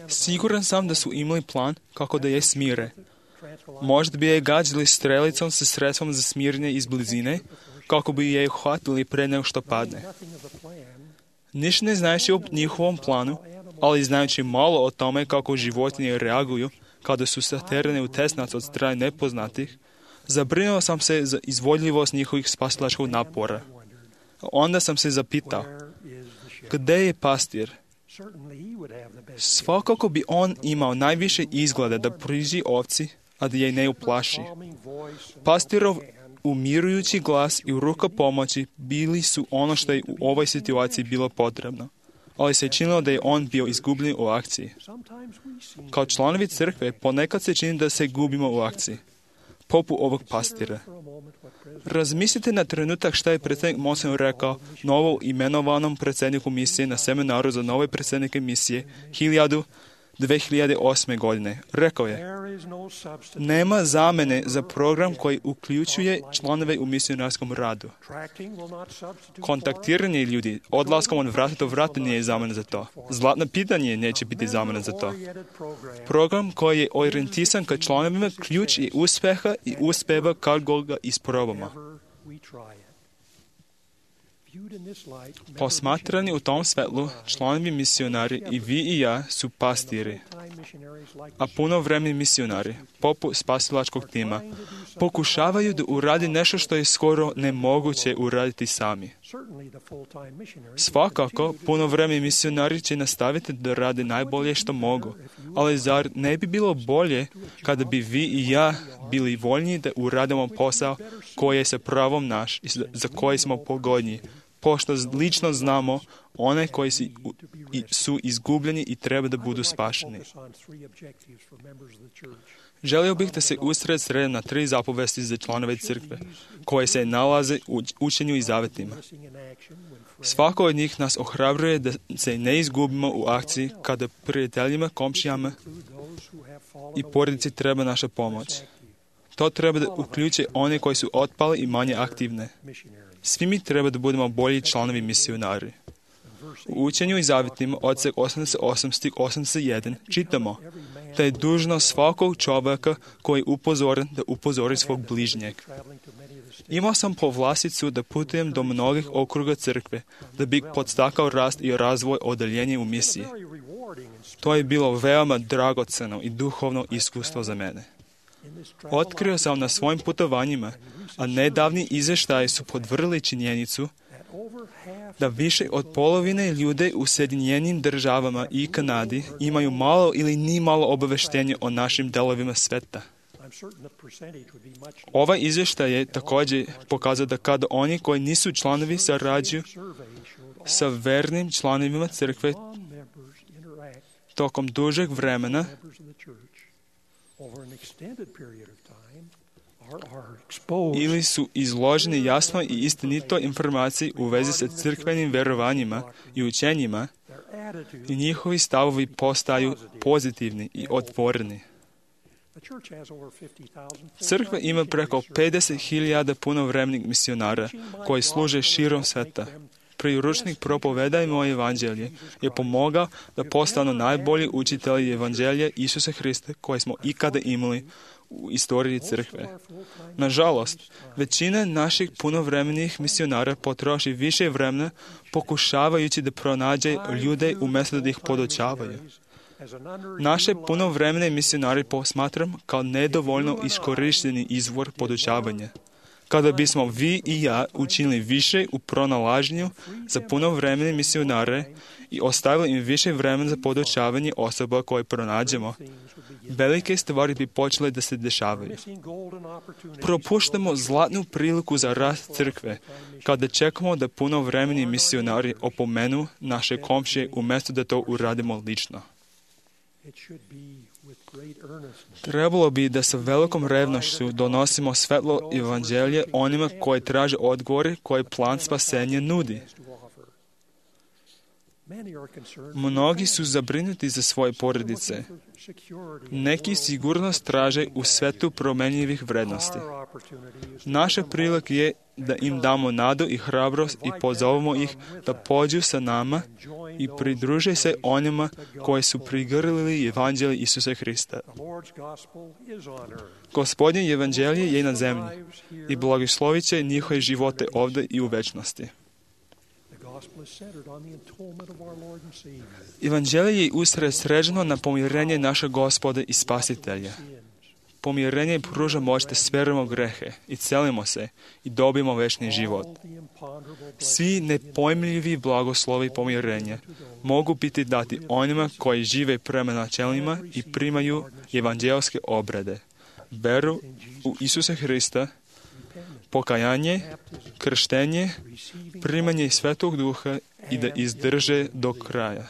Siguran sam da su imali plan kako da je smire. Možda bi je gađali strelicom sa sredstvom za smirnje iz blizine, kako bi je uhvatili pre nego što padne. Ništa ne znajući o njihovom planu, ali znajući malo o tome kako životinje reaguju kada su saterane u tesnac od strane nepoznatih, zabrinuo sam se za izvodljivost njihovih spasilačkog napora. Onda sam se zapitao, gdje je pastir? Svakako bi on imao najviše izgleda da priđi ovci, a da je ne uplaši. Pastirov umirujući glas i ruka pomoći bili su ono što je u ovoj situaciji bilo potrebno, ali se činilo da je on bio izgubljen u akciji. Kao članovi crkve ponekad se čini da se gubimo u akciji, poput ovog pastira. Razmislite na trenutak šta je predsjednik Monson rekao novo imenovanom predsjedniku misije na seminaru za nove predsjednike misije 2008. godine. Rekao je, nema zamene za program koji uključuje članove u misionarskom radu. Kontaktiranje ljudi odlaskom od vrata do vrata nije zamena za to. Zlatno pitanje neće biti zamena za to. Program koji je orijentisan ka članovima ključ je uspjeha i uspjeva kad ga isprobamo. Posmatrani u tom svetlu, članovi misionari i vi i ja su pastiri, a punovremeni misionari, poput spasilačkog tima, pokušavaju da uradi nešto što je skoro nemoguće uraditi sami. Svakako, punovremeni misionari će nastaviti da rade najbolje što mogu, ali zar ne bi bilo bolje kada bi vi i ja bili voljni da uradimo posao koji je sa pravom naš i za koji smo pogodni, pošto lično znamo one koji su izgubljeni i treba da budu spašeni. Želio bih da se usredsredim na 3 zapovesti za članove crkve, koje se nalaze u učenju i zavetima. Svako od njih nas ohrabruje da se ne izgubimo u akciji kada prijateljima, komšijama i porodici treba naša pomoć. To treba da uključe one koji su otpali i manje aktivne. Svi mi treba da budemo bolji članovi misionari. U učenju i zavetima odsek 88 stih 81 čitamo da je dužnost svakog čovjeka koji je upozoren da upozori svog bližnjeg. Imao sam povlasticu da putujem do mnogih okruga crkve da bih podstakao rast i razvoj odeljenja u misiji. To je bilo veoma dragoceno i duhovno iskustvo za mene. Otkrio sam na svojim putovanjima, a nedavni izvještaji su podvrli činjenicu da više od polovine ljude u Sjedinjenim državama i Kanadi imaju malo ili ni malo obaveštenje o našim delovima sveta. Ovaj izvještaj je također pokazao da kada oni koji nisu članovi sarađuju sa vernim članovima crkve tokom dužeg vremena, ili su izloženi jasno i istinito informaciji u vezi sa crkvenim verovanjima i učenjima, i njihovi stavovi postaju pozitivni i otvoreni. Crkva ima preko 50.000 punovremenih misionara koji služe širom sveta. Priručnik Propovedajmo evanđelje je pomogao da postanu najbolji učitelji evanđelja Isusa Hrista koje smo ikada imali u istoriji crkve. Nažalost, većina naših punovremenih misionara potroši više vremena pokušavajući da pronađe ljude umjesto da ih podučavaju. Naše punovremene misionari posmatram kao nedovoljno iskorišteni izvor podučavanja. Kada bismo vi i ja učinili više u pronalaženju za punovremene misionare i ostavili im više vremena za podučavanje osoba koje pronađemo, velike stvari bi počele da se dešavaju. Propuštamo zlatnu priliku za rast crkve kada čekamo da punovremeni misionari opomenu naše komšije umjesto da to uradimo lično. Trebalo bi da sa velikom revnošću donosimo svetlo evanđelje onima koji traže odgovore koje plan spasenja nudi. Mnogi su zabrinuti za svoje porodice. Neki sigurnost traže u svetu promenljivih vrednosti. Naša prilika je da im damo nadu i hrabrost i pozovemo ih da pođu sa nama i pridruže se onima koji su prigrlili evanđelje Isusa Hrista. Gospodnje evanđelje je na zemlji i blagoslovit će njihove živote ovdje i u večnosti. Evanđelje je usredsređeno na pomirenje našeg Gospoda i Spasitelja. Pomirenje pruža moć da speremo grehe i celimo se i dobijemo večni život. Svi nepojmljivi blagoslovi pomirenja mogu biti dati onima koji žive prema načelima i primaju evanđelske obrede. Veru u Isusa Hrista, pokajanje, krštenje, primanje Svetog Duha i da izdrže do kraja.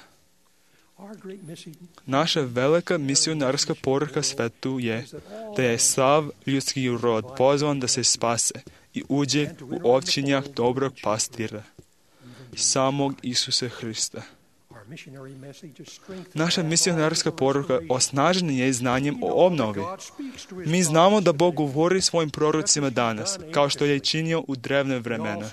Naša velika misionarska poruka svetu je da je sav ljudski rod pozvan da se spase i uđe u ovčinjak dobrog pastira, samog Isusa Hrista. Naša misionarska poruka osnažena je znanjem o obnovi. Mi znamo da Bog govori svojim prorocima danas, kao što je činio u drevne vremena.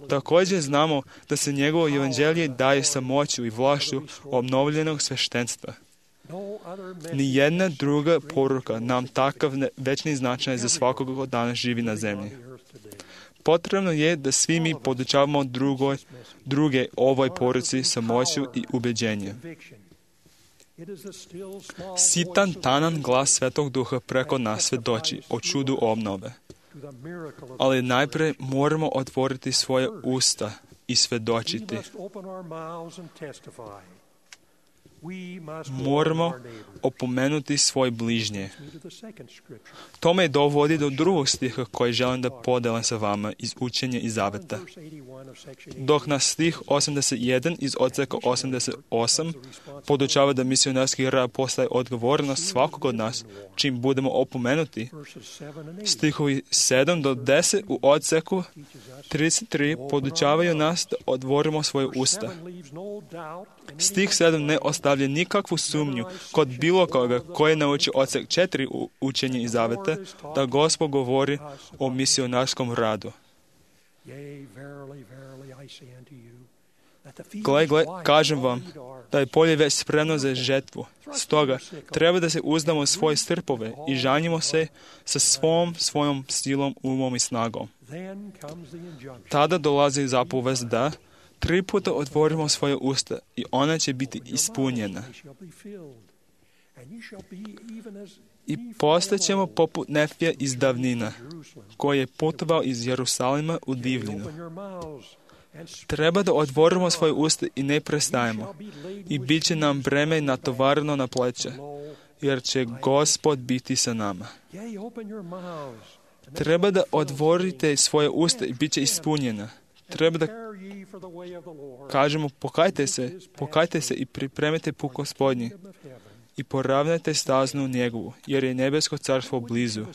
Također znamo da se njegovo evanđelje daje sa moću i vlašću obnovljenog sveštenstva. Nijedna druga poruka nam takav večni značaj za svakog ko danas živi na zemlji. Potrebno je da svi mi podučavamo druge ovoj poruci sa moću i ubeđenjem. Sitan, tanan glas Svetog Duha preko nas svedoči o čudu obnove. Ali najprije moramo otvoriti svoje usta i svedočiti. moramo opomenuti svoj bližnje. To me dovodi do drugog stiha koji želim da podelim sa vama iz Učenja i Zaveta. Dok na stih 81 iz odseka 88 podučava da misionarski rad postaje odgovornost svakog od nas, čim budemo opomenuti, stihovi 7 do 10 u odseku 33 podučavaju nas da otvorimo svoje usta. Stih 7 ne ostavlja nikakvu sumnju kod bilo koga koji nauči odsek 4 u Učenju i Zaveta da Gospod govori o misionarskom radu. Gle, kažem vam da je polje već spremno za žetvu. Stoga treba da se uzdamo u svoje strpove i žanjimo se sa svojom silom, umom i snagom. Tada dolazi zapovest da 3 puta otvorimo svoje usta i ona će biti ispunjena. I postaćemo poput Nefija iz davnina, koji je putovao iz Jerusalima u divljinu. Treba da otvorimo svoje usta i ne prestajemo. I bit će nam breme natovareno na pleća, jer će Gospod biti sa nama. Treba da otvorite svoje usta i bit će ispunjena. Treba da kažemo pokajte se i pripremite put Gospodnji i poravnajte staznu njegovu, jer je nebesko carstvo blizu.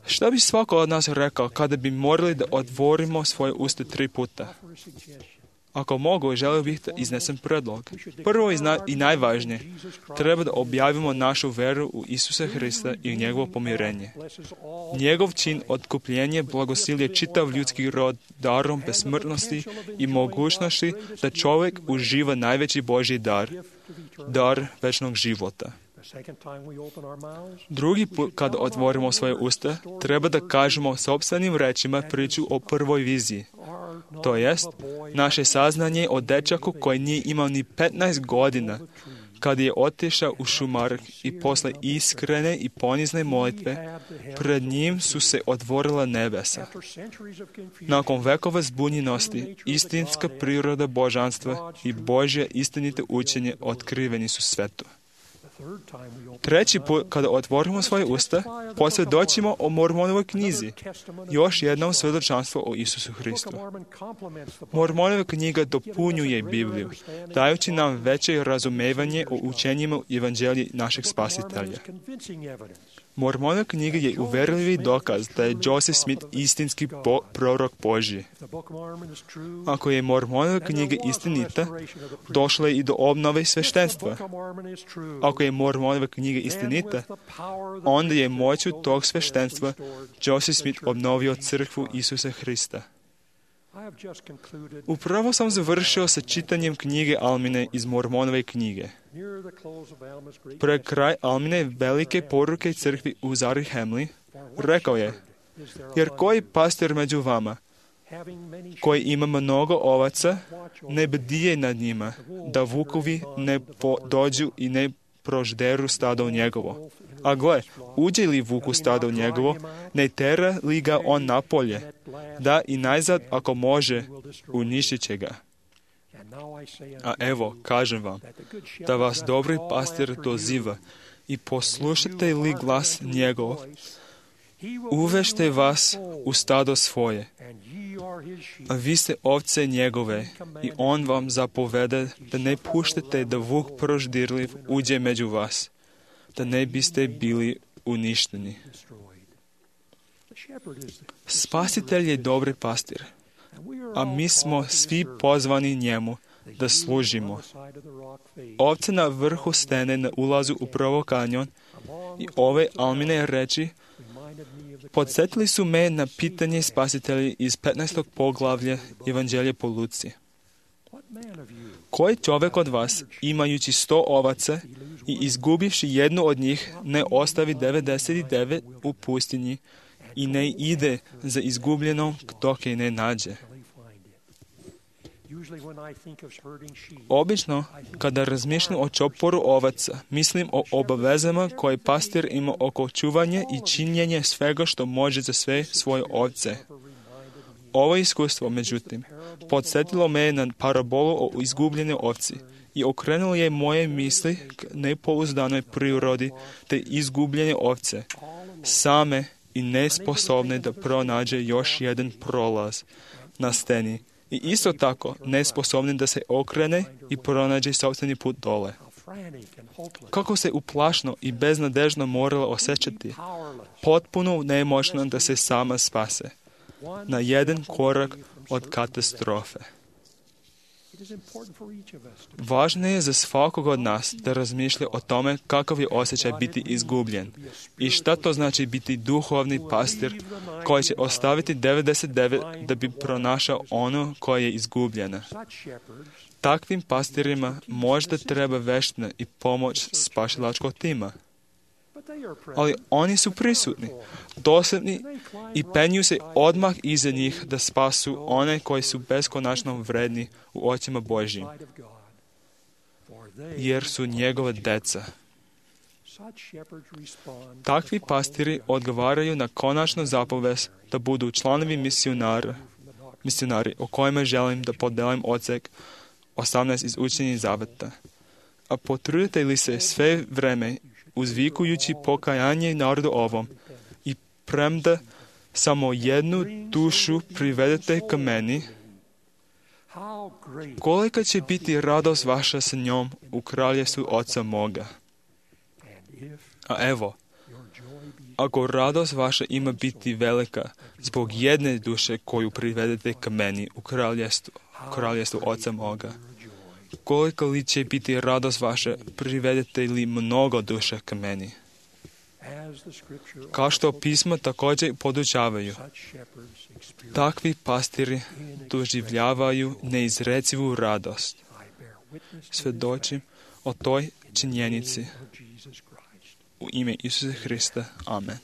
Šta bi svako od nas rekao kada bi morali da otvorimo svoje usta 3 puta? Ako mogu, želio bih da iznesem predlog. Prvo i najvažnije, treba da objavimo našu veru u Isusa Hrista i njegovo pomirenje. Njegov čin otkupljenja blagosilje čitav ljudski rod darom besmrtnosti i mogućnosti da čovjek uživa najveći Božji dar večnog života. Drugi put kada otvorimo svoje usta, treba da kažemo sopstvenim rečima priču o prvoj viziji. To jest, naše saznanje o dečaku koji nije imao ni 15 godina, kad je otišao u šumark i posle iskrene i ponizne molitve, pred njim su se otvorila nebesa. Nakon vekova zbunjenosti, istinska priroda božanstva i Božje istinite učenje otkriveni su svetu. Treći put, kada otvorimo svoje usta, posvjedočimo o Mormonovoj knjizi, još jednom svjedočanstvo o Isusu Hristu. Mormonova knjiga dopunjuje Bibliju, dajući nam veće razumevanje o učenjima evanđelja našeg Spasitelja. Mormonova knjiga je uverljivi dokaz da je Joseph Smith istinski prorok Božji. Ako je Mormonova knjiga istinita, došlo je i do obnove sveštenstva. Ako je Mormonova knjiga istinita, onda je moću tog sveštenstva Joseph Smith obnovio crkvu Isusa Hrista. Upravo sam završio sa čitanjem knjige Almine iz Mormonove knjige. Pred kraj Almine velike poruke crkvi u Zarahemli rekao je: jer koji pastor među vama, koji ima mnogo ovaca, ne bdije nad njima, da vukovi ne dođu i ne prožderu stado u njegovo. A gle, uđe li vuk u stado njegovo, ne tera li ga on napolje, da i najzad, ako može, uništit će ga. A evo, kažem vam, da vas dobri pastir doziva i poslušate li glas njegov, uvešte vas u stado svoje, a vi ste ovce njegove i on vam zapovede da ne puštate da vuk proždirliv uđe među vas, da ne biste bili uništeni. Spasitelj je dobri pastir, a mi smo svi pozvani njemu da služimo. Ovce na vrhu stene na ulazu u prvo kanjon i ove Almine reči podsjetili su me na pitanje Spasitelja iz 15. poglavlja Evanđelja po Luci. Koji čovjek od vas, imajući 100 ovaca i izgubivši jednu od njih, ne ostavi 99 u pustinji i ne ide za izgubljenom dok je ne nađe? Obično, kada razmišljam o čoporu ovaca, mislim o obavezama koje pastir ima oko čuvanja i činjenja svega što može za sve svoje ovce. Ovo iskustvo, međutim, podsjetilo me na parabolu o izgubljenoj ovci i okrenulo je moje misli k nepouzdanoj prirodi te izgubljene ovce, same i nesposobne da pronađe još jedan prolaz na steni i isto tako nesposobne da se okrene i pronađe sopstveni put dole. Kako se uplašno i beznadežno morala osjećati, potpuno nemoćna da se sama spase, na jedan korak od katastrofe. Važno je za svakog od nas da razmišlja o tome kakav je osjećaj biti izgubljen i šta to znači biti duhovni pastir koji će ostaviti 99 da bi pronašao ono koje je izgubljeno. Takvim pastirima možda treba veština i pomoć spasilačkog tima. Ali oni su prisutni, dosljedni i penju se odmah iza njih da spasu one koji su beskonačno vredni u očima Božjim, jer su njegova deca. Takvi pastiri odgovaraju na konačnu zapovest da budu članovi misionari o kojima želim da podelim odsek 18 iz Učenja zaveta. A potrudite li se sve vreme uzvikujući pokajanje narodu ovom i premda samo jednu dušu privedete ka meni, kolika će biti radost vaša sa njom u kraljevstvu Oca moga. A evo, ako radost vaša ima biti velika zbog jedne duše koju privedete ka meni u kraljevstvu Oca moga, koliko li će biti radost vaša privedete li mnogo duša ka meni? Kao što pisma također podučavaju, takvi pastiri doživljavaju neizrecivu radost. Svedočim o toj činjenici u ime Isusa Hrista. Amen.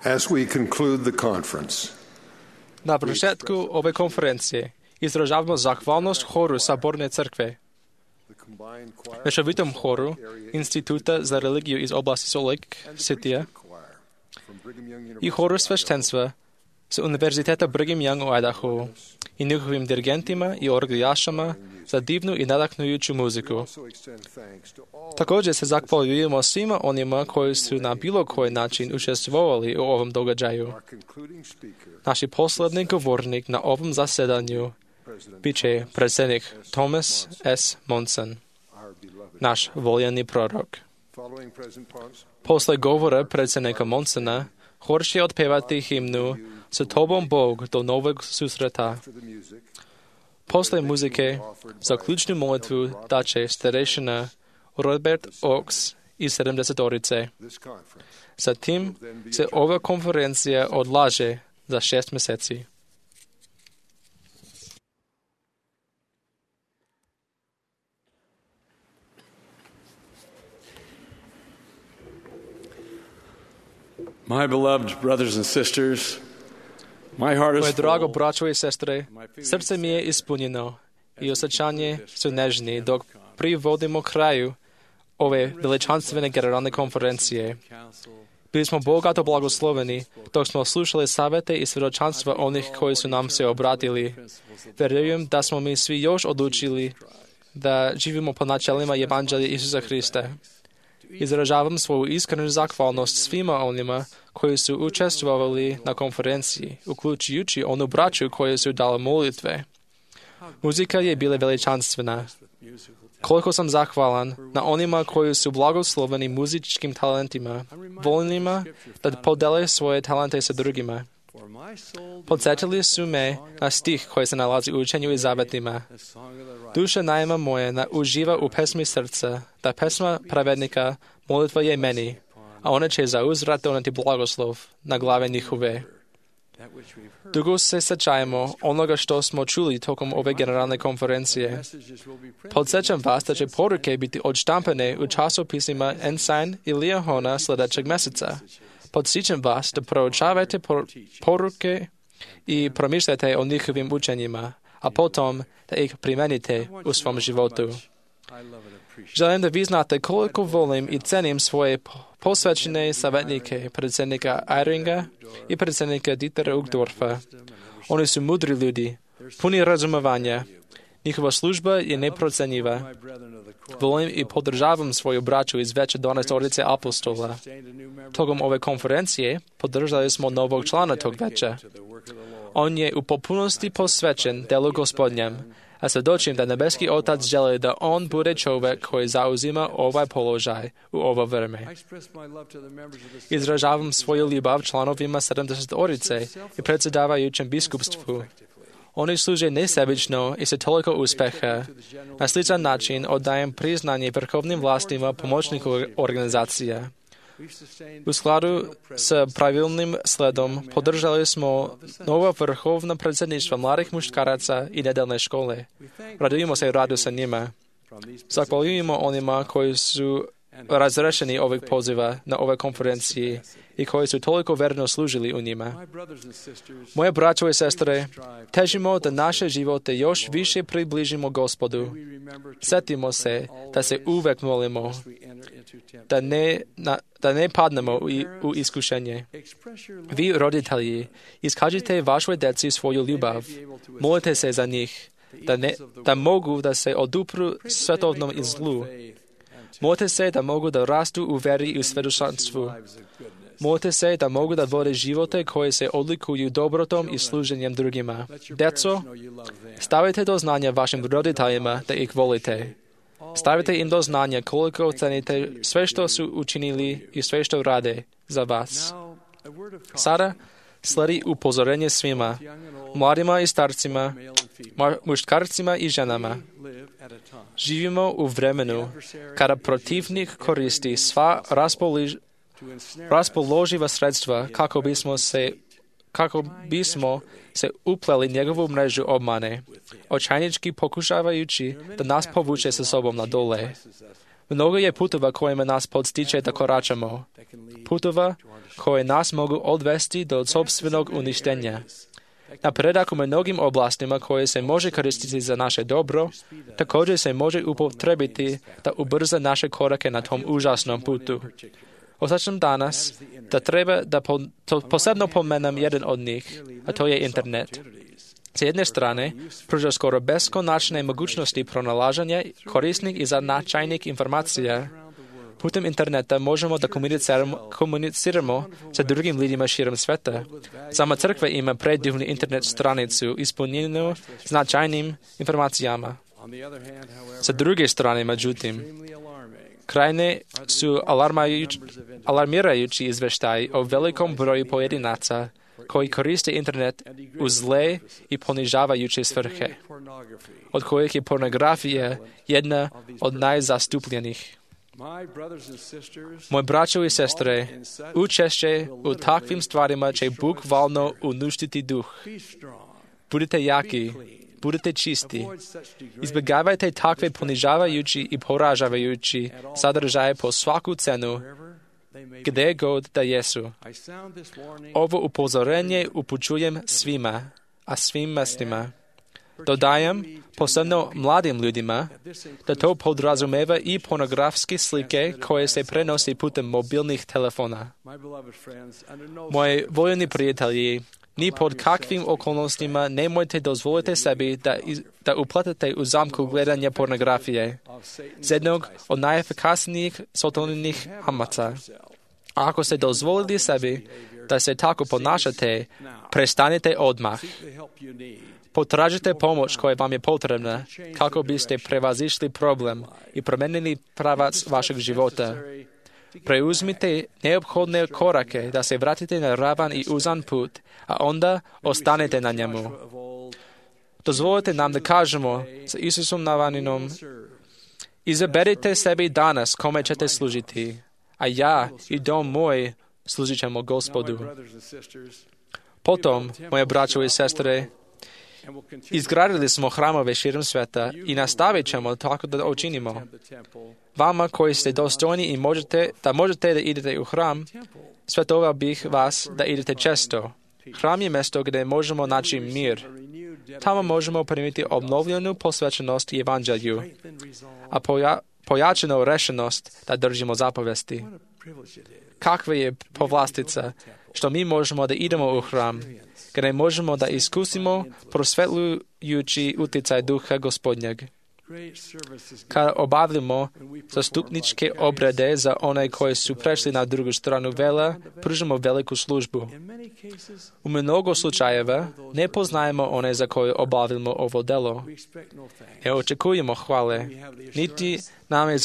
As we conclude the conference, na početku ove konferencije izražavamo zahvalnost horu Saborne crkve, mešovitom horu Instituta za religiju iz oblasti Salt Lake City i horu sveštenstva sa Univerziteta Brigham Young u Idaho i njihovim dirigentima i orglijašama za divnu i nadahnujuću muziku. Također se zahvaljujemo svima onima koji su na bilo koji način učestvovali u ovom događaju. Naši poslednji govornik na ovom zasedanju bit će predsjednik Thomas S. Monson, naš voljeni prorok. Posle govora predsjednika Monsona, hor će otpevati himnu Sa tobom Bog do novog susreta. Posle muzike, za ključnu molitvu daće starešina Robert Oaks iz 70-orice. Zatim se ova konferencija odlaže za 6 mjeseci. My beloved brothers and sisters, my heart is Moje drago full. braćo i sestre, srce mi je ispunjeno i osjećanje su nežni dok privodimo kraju ove veličanstvene generalne konferencije. Bili smo bogato blagosloveni dok smo slušali savjete i svjedočanstva onih koji su nam se obratili. Vjerujem da smo mi svi još odlučili da živimo po načelima Evanđelja Isusa Hrista. Izražavam svoju iskrenu zahvalnost svima onima koji su učestvovali na konferenciji, uključujući onu braću koji su dali molitve. Muzika je bila veličanstvena. Koliko sam zahvalan na onima koji su blagosloveni muzičkim talentima, voljnima da podele svoje talente sa drugima. Podsjetili su me na stih koji se nalazi u učenju i zavetima. Duša najma moja uživa u pesmi srca, da pesma pravednika molitva je meni, a ona će zauzvrat doneti blagoslov na glave njihove. Dugo se sjećajmo onoga što smo čuli tokom ove generalne konferencije. Podsjećam vas da će poruke biti odštampane u časopisima Ensign i Liahona sljedećeg mjeseca. Podsjećam vas da proučavate poruke i promišljate o njihovim učenjima, a potom da ih primenite u svom životu. Želim da vi znate koliko volim i cenim svoje posvećene savjetnike, predsjednika Eyringa i predsjednika Dietera Uchtdorfa. Oni su mudri ljudi, puni razumevanja. Njihova služba je neprocenjiva. Volim i podržavam svoju braću iz veće 12 apostola. Tokom ove konferencije podržali smo novog člana tog veća. On je u potpunosti posvećen delu Gospodnjem, a svjedočim da nebeski Otac želi da on bude čovjek koji zauzima ovaj položaj u ovo vrijeme. Izražavam svoju ljubav članovima 70 i predsjedavajućem biskupstvu. Oni služe nesebično i sa toliko uspeha. Na sličan način oddajem priznanje vrhovnim vlastima pomoćnih organizacija. U skladu s pravilnim sledom podržali smo nova vrhovna predsjedništva mladih muškaraca i nedeljne škole. Radujemo se radu sa njima. Zahvaljujemo onima koji su razrešeni ovih poziva na ove konferencije i koji su toliko verno služili u njima. Moje braćo i sestre, težimo da naše živote još više približimo Gospodu. Sjetimo se da se uvek molimo, da ne padnemo u iskušenje. Vi, roditelji, iskažite vašoj djeci svoju ljubav. Molite se za njih, da mogu da se odupru svetovnom i zlu. Molite se da mogu da rastu u veri i u svjedočanstvu. Molite se da mogu da vode živote koje se odlikuju dobrotom i služenjem drugima. Djeco, stavite do znanja vašim roditeljima da ih volite. Stavite im do znanja koliko ocenite sve što su učinili i sve što rade za vas. Sada sledi upozorenje svima, mladima i starcima, muškarcima i ženama. Živimo u vremenu kada protivnik koristi sva raspoloživa sredstva kako bismo se upleli njegovu mrežu obmane, očajnički pokušavajući da nas povuče sa sobom na dole. Mnogo je putova kojima nas podstiče da koračamo. Putova koje nas mogu odvesti do sopstvenog uništenja. Napredak u mnogim oblastima koje se može koristiti za naše dobro, također se može upotrebiti da ubrza naše korake na tom užasnom putu. Osjećam danas da treba da posebno pomenem jedan od njih, a to je internet. S jedne strane, pruža skoro beskonačne mogućnosti pronalaženja korisnih i značajnih informacija. Putem interneta možemo da komuniciramo sa drugim ljudima širom sveta. Sama crkva ima predivnu internet stranicu ispunjenu značajnim informacijama. Sa druge strane, međutim, krajne su alarmirajući izvještaji o velikom broju pojedinaca koji koriste internet u zle i ponižavajuće svrhe, od kojih je pornografija jedna od najzastupljenijih. Moji braćo i sestre, učešće u takvim stvarima će bukvalno uništiti duh. Budite jaki, budite čisti. Izbjegavajte takve ponižavajući i poražavajući sadržaje po svaku cenu, gdje god da jesu. Ovo upozorenje upućujem svima, a svim mestima. Dodajem, posebno mladim ljudima, da to podrazumeva i pornografske slike koje se prenosi putem mobilnih telefona. Moji voljeni prijatelji, ni pod kakvim okolnostima nemojte dozvoliti sebi da upletete u zamku gledanja pornografije, z jednog od najefikasnijih sotovnih hamaca. A ako ste dozvolili sebi da se tako ponašate, prestanite odmah. Potražite pomoć koja vam je potrebna kako biste prevazišli problem i promenili pravac vašeg života. Preuzmite neophodne korake da se vratite na ravan i uzan put, a onda ostanete na njemu. Dozvolite nam da kažemo sa Isusom Navaninom: izaberite sebi danas kome ćete služiti, a ja i dom moj služit ćemo Gospodu. Potom, moje braćo i sestre, izgradili smo hramove širom sveta i nastavit ćemo tako da učinimo. Vama koji ste dostojni i možete da idete u hram, svetovao bih vas da idete često. Hram je mjesto gdje možemo naći mir. Tamo možemo primiti obnovljenu posvećenost Evanđelju, a pojačanu rešenost da držimo zapovesti. Kakva je povlastica što mi možemo da idemo u hram, gdje možemo da iskusimo prosvetlujući utjecaj Duha Gospodnjeg. Kada obavljamo zastupničke obrede za one koji su prešli na drugu stranu vela, pružimo veliku službu. U mnogo slučajeva ne poznajemo one za koje obavljamo ovo delo. Ne očekujemo hvale, niti nam je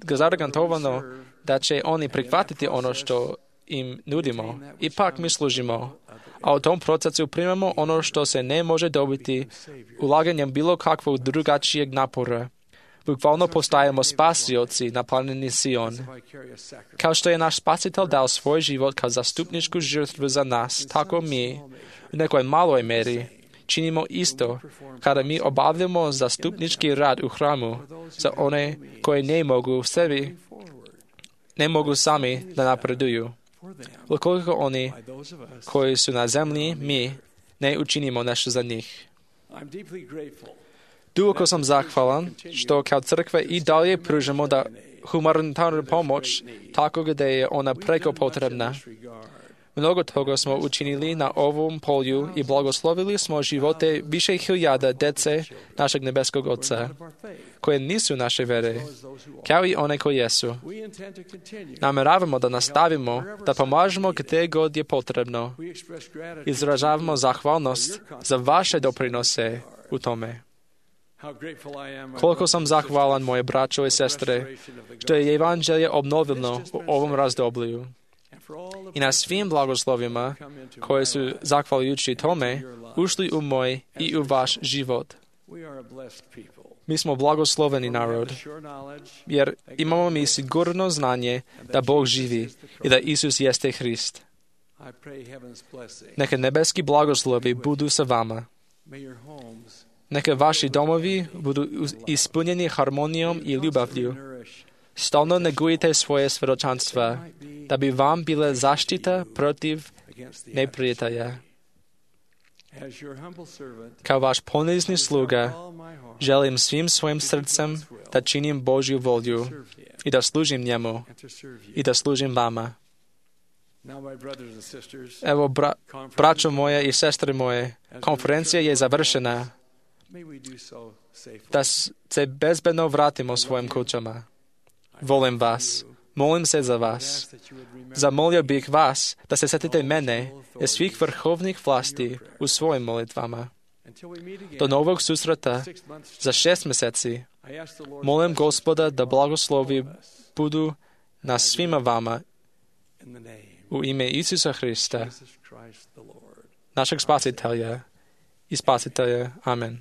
zaragantovano da će oni prihvatiti ono što im nudimo. Ipak mi služimo, a u tom procesu primamo ono što se ne može dobiti ulaganjem bilo kakvog drugačijeg napora. Bukvalno postajemo spasioci na planini Sion. Kao što je naš spasitelj dao svoj život kao zastupničku žrtvu za nas, tako mi, u nekoj maloj meri, činimo isto kada mi obavljamo zastupnički rad u hramu za one koji ne mogu sami da napreduju. Ukoliko oni koji su na zemlji, mi ne učinimo nešto za njih. Duboko sam zahvalan što kao crkva i dalje pružamo da humanitarnu pomoć tako gdje je ona preko potrebna. Mnogo toga smo učinili na ovom polju i blagoslovili smo živote više hiljada dece našeg nebeskog Oca, koje nisu naše vere, kao i one koje jesu. Nameravamo da nastavimo, da pomažemo gdje god je potrebno. Izražavamo zahvalnost za vaše doprinose u tome. Koliko sam zahvalan, moje braćo i sestre, što je evanđelje obnovljeno u ovom razdoblju. I na svim blagoslovima koje su, zahvaljujući tome, ušli u moj i u vaš život. Mi smo blagosloveni narod, jer imamo mi sigurno znanje da Bog živi i da Isus jeste Hrist. Neka nebeski blagoslovi budu sa vama. Neka vaši domovi budu ispunjeni harmonijom i ljubavlju. Stalno negujte svoje svjedočanstva, da bi vam bila zaštita protiv neprijatelja. Kao vaš ponizni sluga, želim svim svojim srcem da činim Božju volju i da služim njemu i da služim vama. Evo, braćo moje i sestre moje, konferencija je završena. Da se bezbedno vratimo svojim kućama. Volim vas. Molim se za vas. Zamolio bih vas da se setite mene i svih vrhovnih vlasti u svojim molitvama. Do novog susreta za 6 mjeseci molim Gospoda da blagoslovi budu na svima vama u ime Isusa Hrista, našeg spasitelja i spasitelja. Amen.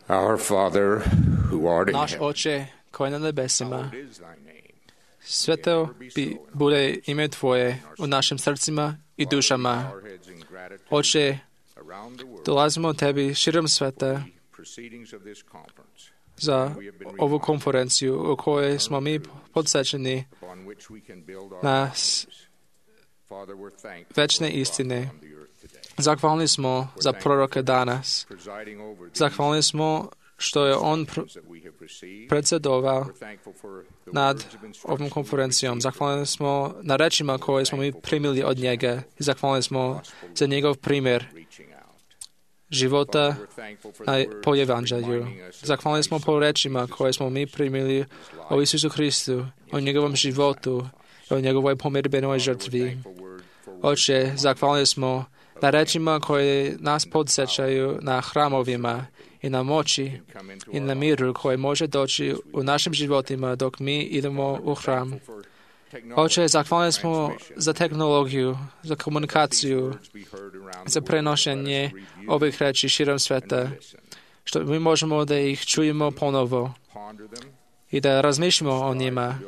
Our Father, who art in Наш heaven, Отче, koji je na nebesima, sveto bude ime Tvoje u našim srcima i dušama. Oče, dolazimo Tebi širom sveta za ovu konferenciju u kojoj smo mi podsjećeni na večne istine. Zahvalni smo za proroka danas. Zahvalni smo što je on predsjedovao nad ovom konferencijom. Zahvalni smo na rečima koje smo mi primili od njega i zahvalni smo za njegov primjer života po evanđelju. Zahvalni smo po rečima koje smo mi primili o Isusu Hristu, o njegovom životu, o njegovoj pomirbenoj žrtvi. Oče, zahvalni smo na rečima koje nas podsjećaju na hramovima i na moći i na miru koje može doći u našim životima dok mi idemo u hram. Oče, zahvalni smo za tehnologiju, za komunikaciju, za prenošenje ovih reči širom sveta, što mi možemo da ih čujemo ponovo i da razmišljamo o njima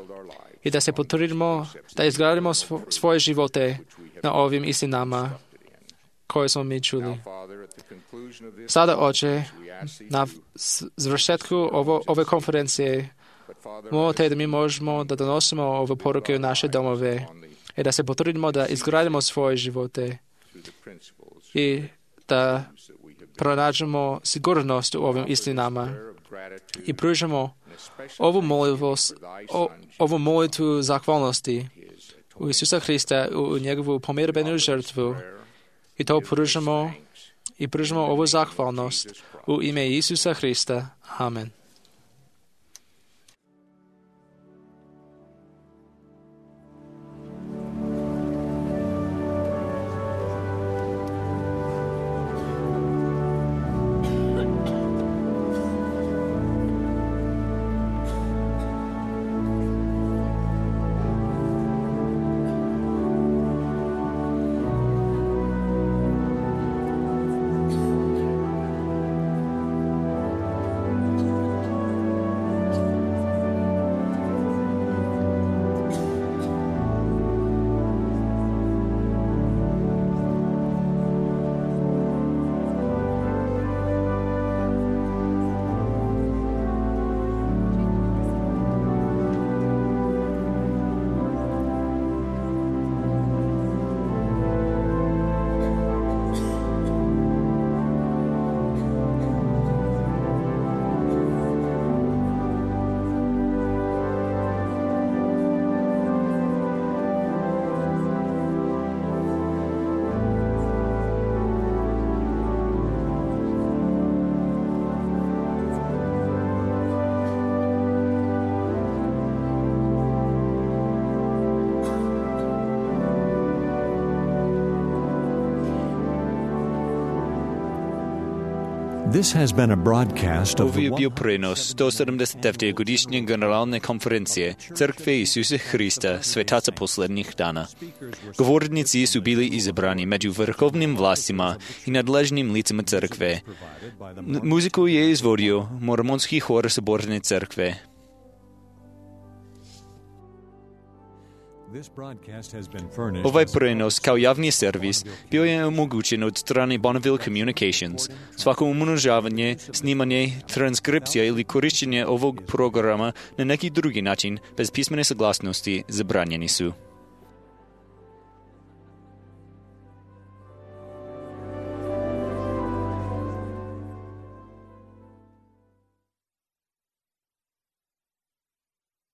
i da se potrudimo da izgradimo svoje živote na ovim istinama koje smo mi čuli. Sada, Oče, na završetku ove konferencije molimo Te da mi možemo da donosimo ove poruke u naše domove i da se potrudimo da izgradimo svoje živote i da pronađemo sigurnost u ovim istinama i pružimo ovu molitvu zahvalnosti u Isusa Hrista, u njegovu pomirbenu žrtvu i to pružimo ovu zahvalnost u ime Isusa Hrista. Amen. Ovo je bio prenos 179. godišnje generalne konferencije Crkve Isusa Hrista Svetaca poslednjih dana. Govornici su bili izabrani među vrhovnim vlastima i nadležnim licima crkve. Muziku je izvodio Mormonski hor Saborne crkve. Ovaj prenos kao javni servis bio je omogućen od strane Bonneville Communications. Svako umnožavanje, snimanje, transkripcija ili korištenje ovog programa na neki drugi način bez pismene saglasnosti zabranjeni su.